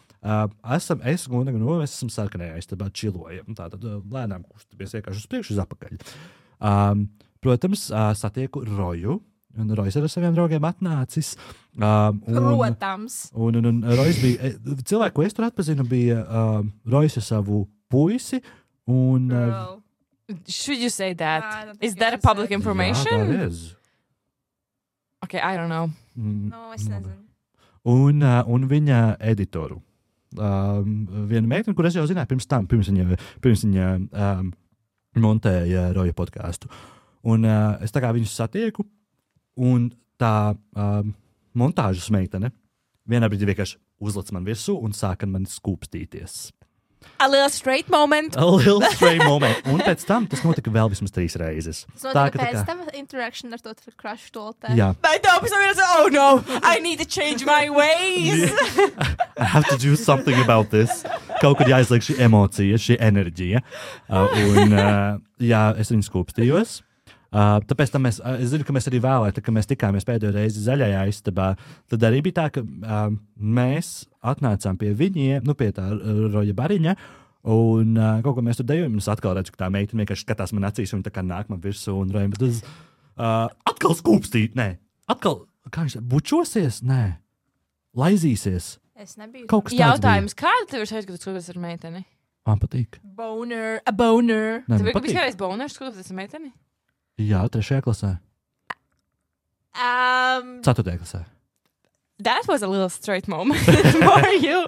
es un mēs esam sarkanajā istabā čilojam. Tātad lēnām kustamies vienkārši uz priekšu, uz apakaļ. Protams, satieku Roju. Un Rojs ar saviem draugiem atnācis. Protams. Un Rojs bija, cilvēku, ko es tur atpazinu, bija Rojs ar savu puisi. Un, should you say that? Is that a public information? Jā, that is. Okay, I don't know. No, es nezinu. Un viņa editoru. Viena meitene, kur es jau zināju pirms viņa montēja Roja podcastu. Un es tā kā viņus satieku. Un tā montāžas meitene vienā brīdī vienkārši uzlic man virsū un sāka man skūpstīties. A little straight moment. Un pēc tam tas notika vēl vismaz 3 reizes. Tas notika pēc tam interaction ar to crush toltē. Jā. Bet tāpēc man ir oh no, I need to change my ways. I have to do something about this. Kaut kad jāizliek šī emocija, šī enerģija. Jā, es viņu skūpstījos. Tāpēc tam es zinu, ka mēs arī vēlēt, kad mēs tikāmies pēdējo reizi zaļajā istabā, tad arī bija tā, ka mēs atnācām pie viņiem, pie tā Roja Bariņa, un kaut ko mēs tur dejojam, un es atkal redzu, ka tā meitene vienkārši skatās man acīs, un tā kā nāk man virsū, un Roja, bet es atkal skūpstīt, atkal, kā viņš bučosies, laizīsies. Es nebiju. Kaut kas tāds jautājums, kāda tev ir šeit, kad tu skūpsies ar meiteni? Man patīk. A boner. Tev ir kādreiz boners skūpsies ar meiteni? Jā, 3. klasē. 4. klasē. That was a little straight moment for you.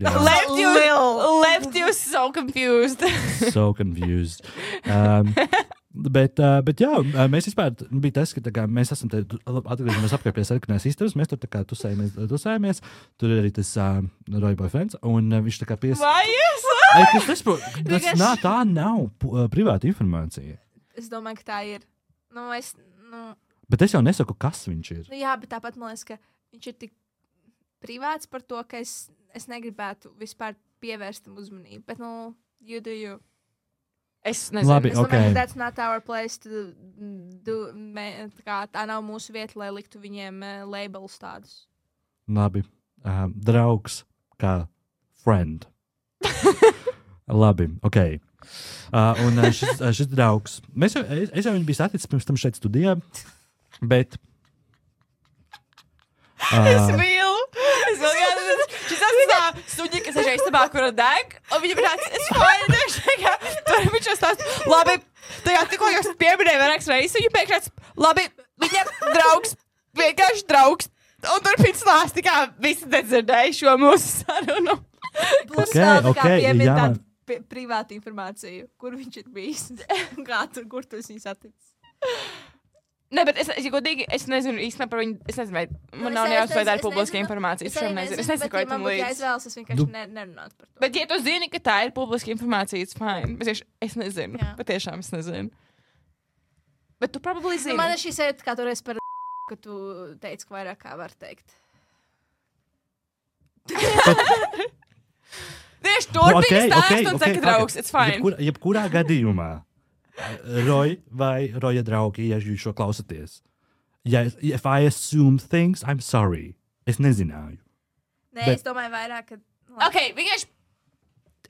Left you so confused. Bet jā, mēs vispār bija tas, ka kā, mēs esam atgriežamies apkārt pie sarkanās istabas, mēs tur tā kā tusējamies, tur ir arī tas Roja boyfriends, un viņš tā kā tā nav privāta informācija. Es domāju, ka tā ir. Bet es jau nesaku, kas viņš ir. Jā, bet tāpat man liekas, ka viņš ir tik privāts par to, ka es negribētu vispār pievērst tam uzmanību. Bet, you do you. Es nezinu. Labi, es domāju, ka that's not our place to do. Tā nav mūsu vieta, lai liktu viņiem labels tādus. Labi. Draugs kā friend. Labi, ok. Un šis draugs, es jau viņu biju saticis pirms tam šeit studijā, bet... Es mīlu, šis tā suņi, kas ir šeit istabā, kura deg, un viņa bija tāds, es fajn, tur viņš jau stāst, labi, tikko jūs pieminēja vairākas reizes, viņa pēkšņi, labi, viņam draugs, vienkārši draugs, un turpin stāst, kā visi nedzirdēja šo mūsu sarunu. Plus vēl tā kā piemin tādu privātu informāciju, kur viņš ir bijis, kur tu esi saticis. Ne, bet godīgi, es nezinu īstenībā par viņu, es nezinu, vai man nav nejausmas, vai tā ir publiska informācija, es nezinu, es nezinu, ko tam līdz. Ja izvēlas, es vienkārši nerunātu par to. Bet, ja tu zini, ka tā ir publiska informācija, it's fine, bet es nezinu, patiešām es nezinu. Bet tu probably zini. Man ir šī sajūta, kā toreiz par ka tu teici, ka vairāk kā var teikt. Tieši turpini stāst un saka, draugs, it's fine. Jebkurā gadījumā, Roy vai Roja draugi, ja jūs šo klausaties, if I assume things, I'm sorry. Es nezināju. Nē, es domāju vairāk, ka... Ok,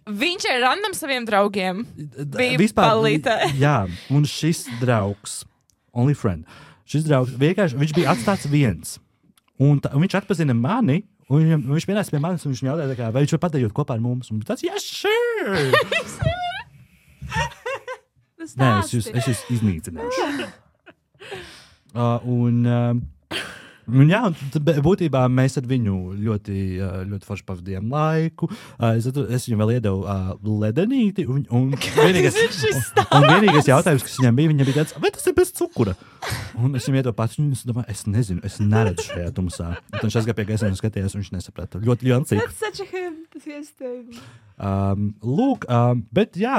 viņš ir random saviem draugiem. Bija palītē. Jā, un šis draugs, only friend, šis draugs, vienkārši, viņš bija atstāts viens. Un viņš atpazina mani, un viņš pienāca pie manis, un viņš jautāja, vai viņš var padējot kopā ar mums. Un tāds, yes, sure! Nē, es jūs iznīcināšu. Jā, būtībā mēs ar viņu ļoti forši pavadījām laiku. Es viņam vēl iedevu ledenīti, un vienīgais jautājums, kas viņam bija tāds, vai tas ir bez cukura? Un es viņam iedevu pats, un es domāju, es nezinu, es neredzu šajā tumsā. Un viņš aizgāja pie gaismas un skatījās, un viņš nesaprata. Ļoti jancīgi. That's such a him, tas iestēm. Lūk, bet jā,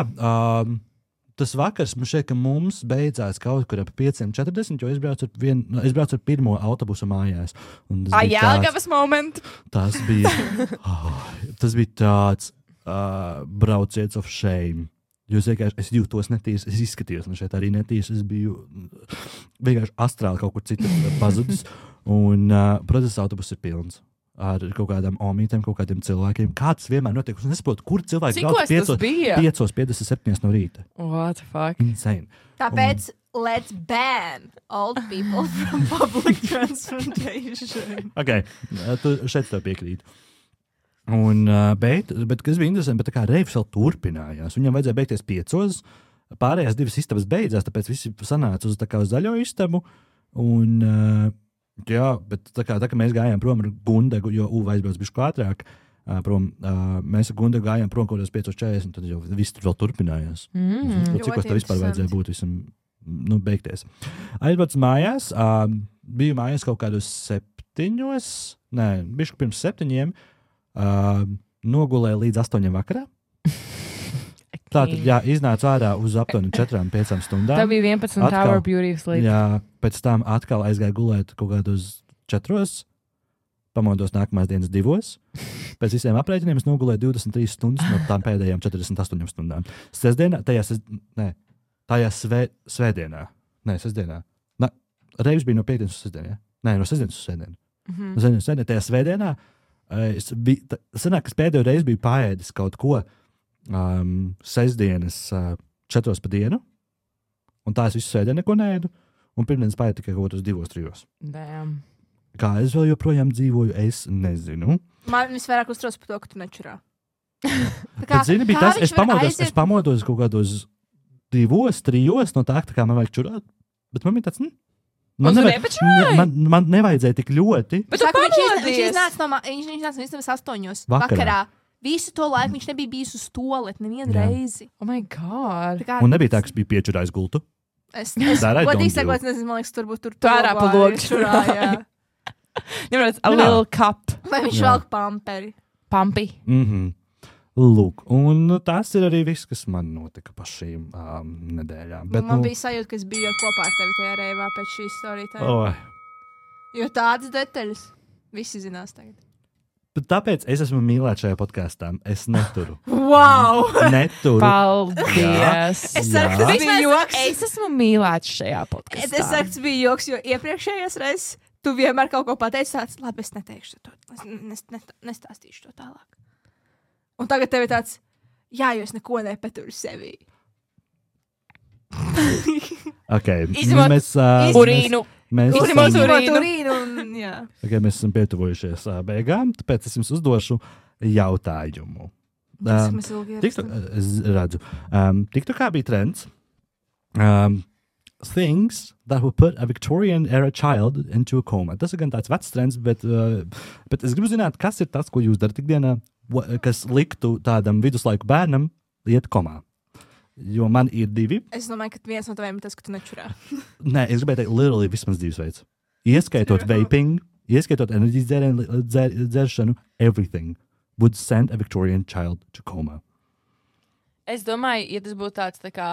tas vakars man šeit, ka mums beidzās kaut kur ap 5:40, jo es braucu ar pirmo autobusu mājās. Jelgavas moment. Tas bija tāds brauciens of shame. Jūs vienkārši, es jūtos netīrs, es izskatījos, man šeit arī netīrs, es biju vienkārši astrāli kaut kur citur pazudis. Un, protams, autobus ir pilns. Ar kaut kādām omītēm, kaut kādiem cilvēkiem. Kāds vienmēr notiek? Es nesaprotu, kur cilvēki brauc 5:57 no rīta. What the fuck? Insane. Tāpēc let's ban old people from public transportation. Ok, tu šeit tev piekrīt. Un, bet kas bija interesanti, bet tā kā reivs vēl turpinājās. Viņam vajadzēja beigties 5. Pārējās 2 istabas beidzās, tāpēc visi sanāca uz zaļo istabu. Un... Jā, bet tā kā mēs gājām prom ar Gundegu, jo Uva aizbrauc bišķi ātrāk prom, mēs ar Gundegu gājām prom kaut kādos 5:40, tad jau viss tur vēl turpinājās. Cikos tā vispār vajadzēja būt visam, beigties. Aizbrauc mājās, biju mājās kaut kādos 7, bišķi pirms 7, nogulēju līdz 8 vakarā. Tātad, jā, iznāca ārā uz aptuveni 4-5 stundām. Tā bija 11 hour beauty sleep. Jā, pēc tam atkal aizgāju gulēt kaut kādos 4. Pamodos nākamās dienas 2. Pēc visiem aprēķiniem es nogulēju 23 stundas no tām pēdējām 48 stundām. Sestdienā, svētdienā. Reivis bija no piekdienas uz sestdienu, ja? Nē, no sestdienas uz svētdienu. No sestdienas uz svētdienu, tajā svētdienā sanāk, es pēdējo reizi biju paēdis kaut ko sestdienas 4 pa dienu, un tā es visu sēdienu neko neēdu, un pirmdienas paēdu tikai kaut uz 2-3. Damn. Kā es vēl joprojām dzīvoju, es nezinu. Man visvairāk uztrauc par to, ka tu nečurā. Bet, zini, bija tas, es pamodos kaut kādos 2-3 no tā kā man vajag čurāt, bet man bija tāds, man nevajadzēja tik ļoti. Bet viņš iznāca no istabas 8 vakarā. Visu to laiku viņš nebija bijis uz toaleti nevienu reizi. Oh my God. Un nebija tā, ka es biju piečurājis gultu. Es godīgi sakot, nezinu, man liekas, turbūt tur ārā pa logu čurā. A little cup. Vai viņš velk pamperi? Pampi. Lūk, un tas ir arī viss, kas man notika pa šīm nedēļām. Bet, man bija sajūta, ka es biju kopā ar tevi tajā reivā pēc šīs storītājiem. Jo tādas detaļas visi zinās tagad. Bet tāpēc es esmu mīlēts šajā podkāstā. Es neturu. Wow! Neturu. Paldies! Es esmu mīlēts šajā podkāstā. Es saku, tas bija joks, jo iepriekšējās reizes tu vienmēr kaut ko pateici tāds, labi, es neteikšu to, nestāstīšu to tālāk. Un tagad tev ir tāds, jā, jo es neko nepaturu sevī. Mēs urīnu. Mēs esam pietuvojušies beigām, tāpēc es jums uzdošu jautājumu. Es redzu. TikTokā bija trends. Things that will put a Victorian era child into a coma. Tas ir gan tāds vecs trends, bet es gribu zināt, kas ir tas, ko jūs darat ikdienā, kas liktu tādam viduslaiku bērnam iet komā. Jo man ir 2. Es domāju, ka viens no taviem ir tas, ka tu nečurā. Nē, es gribēju teikt, literally vismaz 2 veids. Ieskaitot vaping, ieskaitot enerģijas dzeršanu, everything would send a Victorian child to coma. Es domāju, ja tas būtu tāds, tā kā,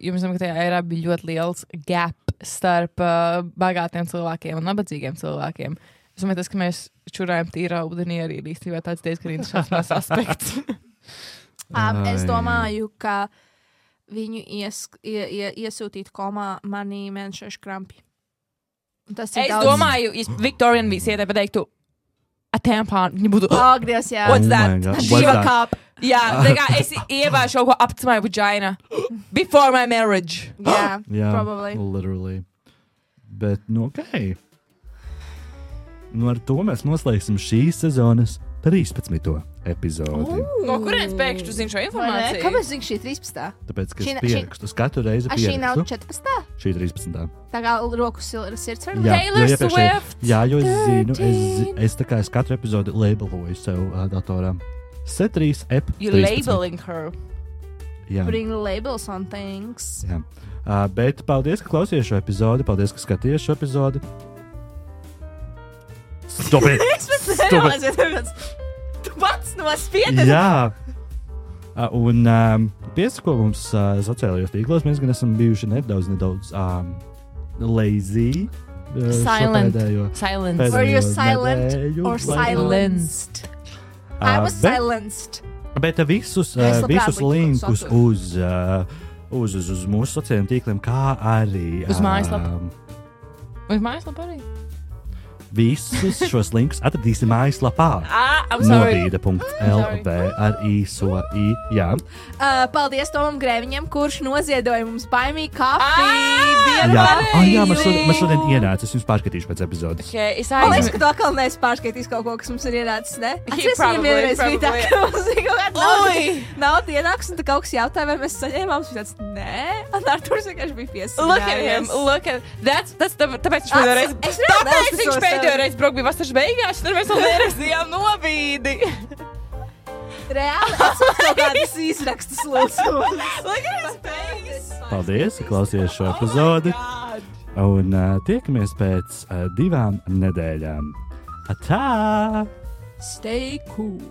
jums zinām, ka tajā erā bija ļoti liels gap starp bagātiem cilvēkiem un nabadzīgiem cilvēkiem. Es domāju, tas, ka mēs čurājam tīrā ūdenī, arī ir īstenībā tāds diezgan interesants aspekts. Es domāju, ka viņu iesūtīt komā manī mēnešošu krampi. Es domāju, ja Victorian visietē pateiktu a tampon, viņa būtu Dievs, jā. What's that? Shiva cup. Jā, tā kā es ievāšu kaut ko up to my vagina before my marriage. Yeah, probably. Literally. Bet, okay. Ar to mēs noslēgsim šīs sezonas 13. epizodi. No kurienes pēkšņi tu zini šo informāciju? Kāpēc zini šī 13? Tāpēc, ka es pierakstu. Katru reizi pierakstu. Šī nav 14? Šī 13. Tā kā roku sirds var Taylor Swift. Jā, jo es zinu, es tā kā es katru epizodi labeloju sev datorā. C3 ep 13. You're labeling her. Jā. Bring labels on things. Jā. Bet paldies, ka klausījāties šo epizodi. Paldies, ka skatījāties šo epizodi. Stop it! Tu pats nospiedi! Jā! Un piesako mums sociālajos tīklos. Mēs gan esam bijuši nedaudz lazy. Silent. Were you silent or silenced? I was silenced. Bet visus linkus uz mūsu sociālajiem tīkliem, kā arī uz mājaslapu. Uz mājaslapu arī? Visus šos linkus atradīsim mājaslapā. Novīda.lv ar īso i. Jā. Paldies Tomam Grēviņam, kurš noziedoja mums baimīgi kafiju. Jā, man šodien ienāca. Es jums pārskatīšu pēc epizodes. Man liekas, ka tu atkal neesi pārskatījis kaut ko, kas mums ir ienācis, ne? Atceries, viņam vienreiz bija tā, ka mums ir kaut kāda nauda ienāks, un tu kaut kas jautāja, vai mēs saņēmām. Viņš tāds, nē. Un Arturs vienkārši bija piesakājis. Look at him. Tāpēc viņš pēdējo reizi braukt bija vasaras beigās, tad mēs vēl nerakstījām Novīdi. Reāli, es kaut kādas izrakstas lūdzu. Paldies, ka klausījāties šo epizodi. Un tiekamies pēc 2 nedēļām. Atā! Stay cool.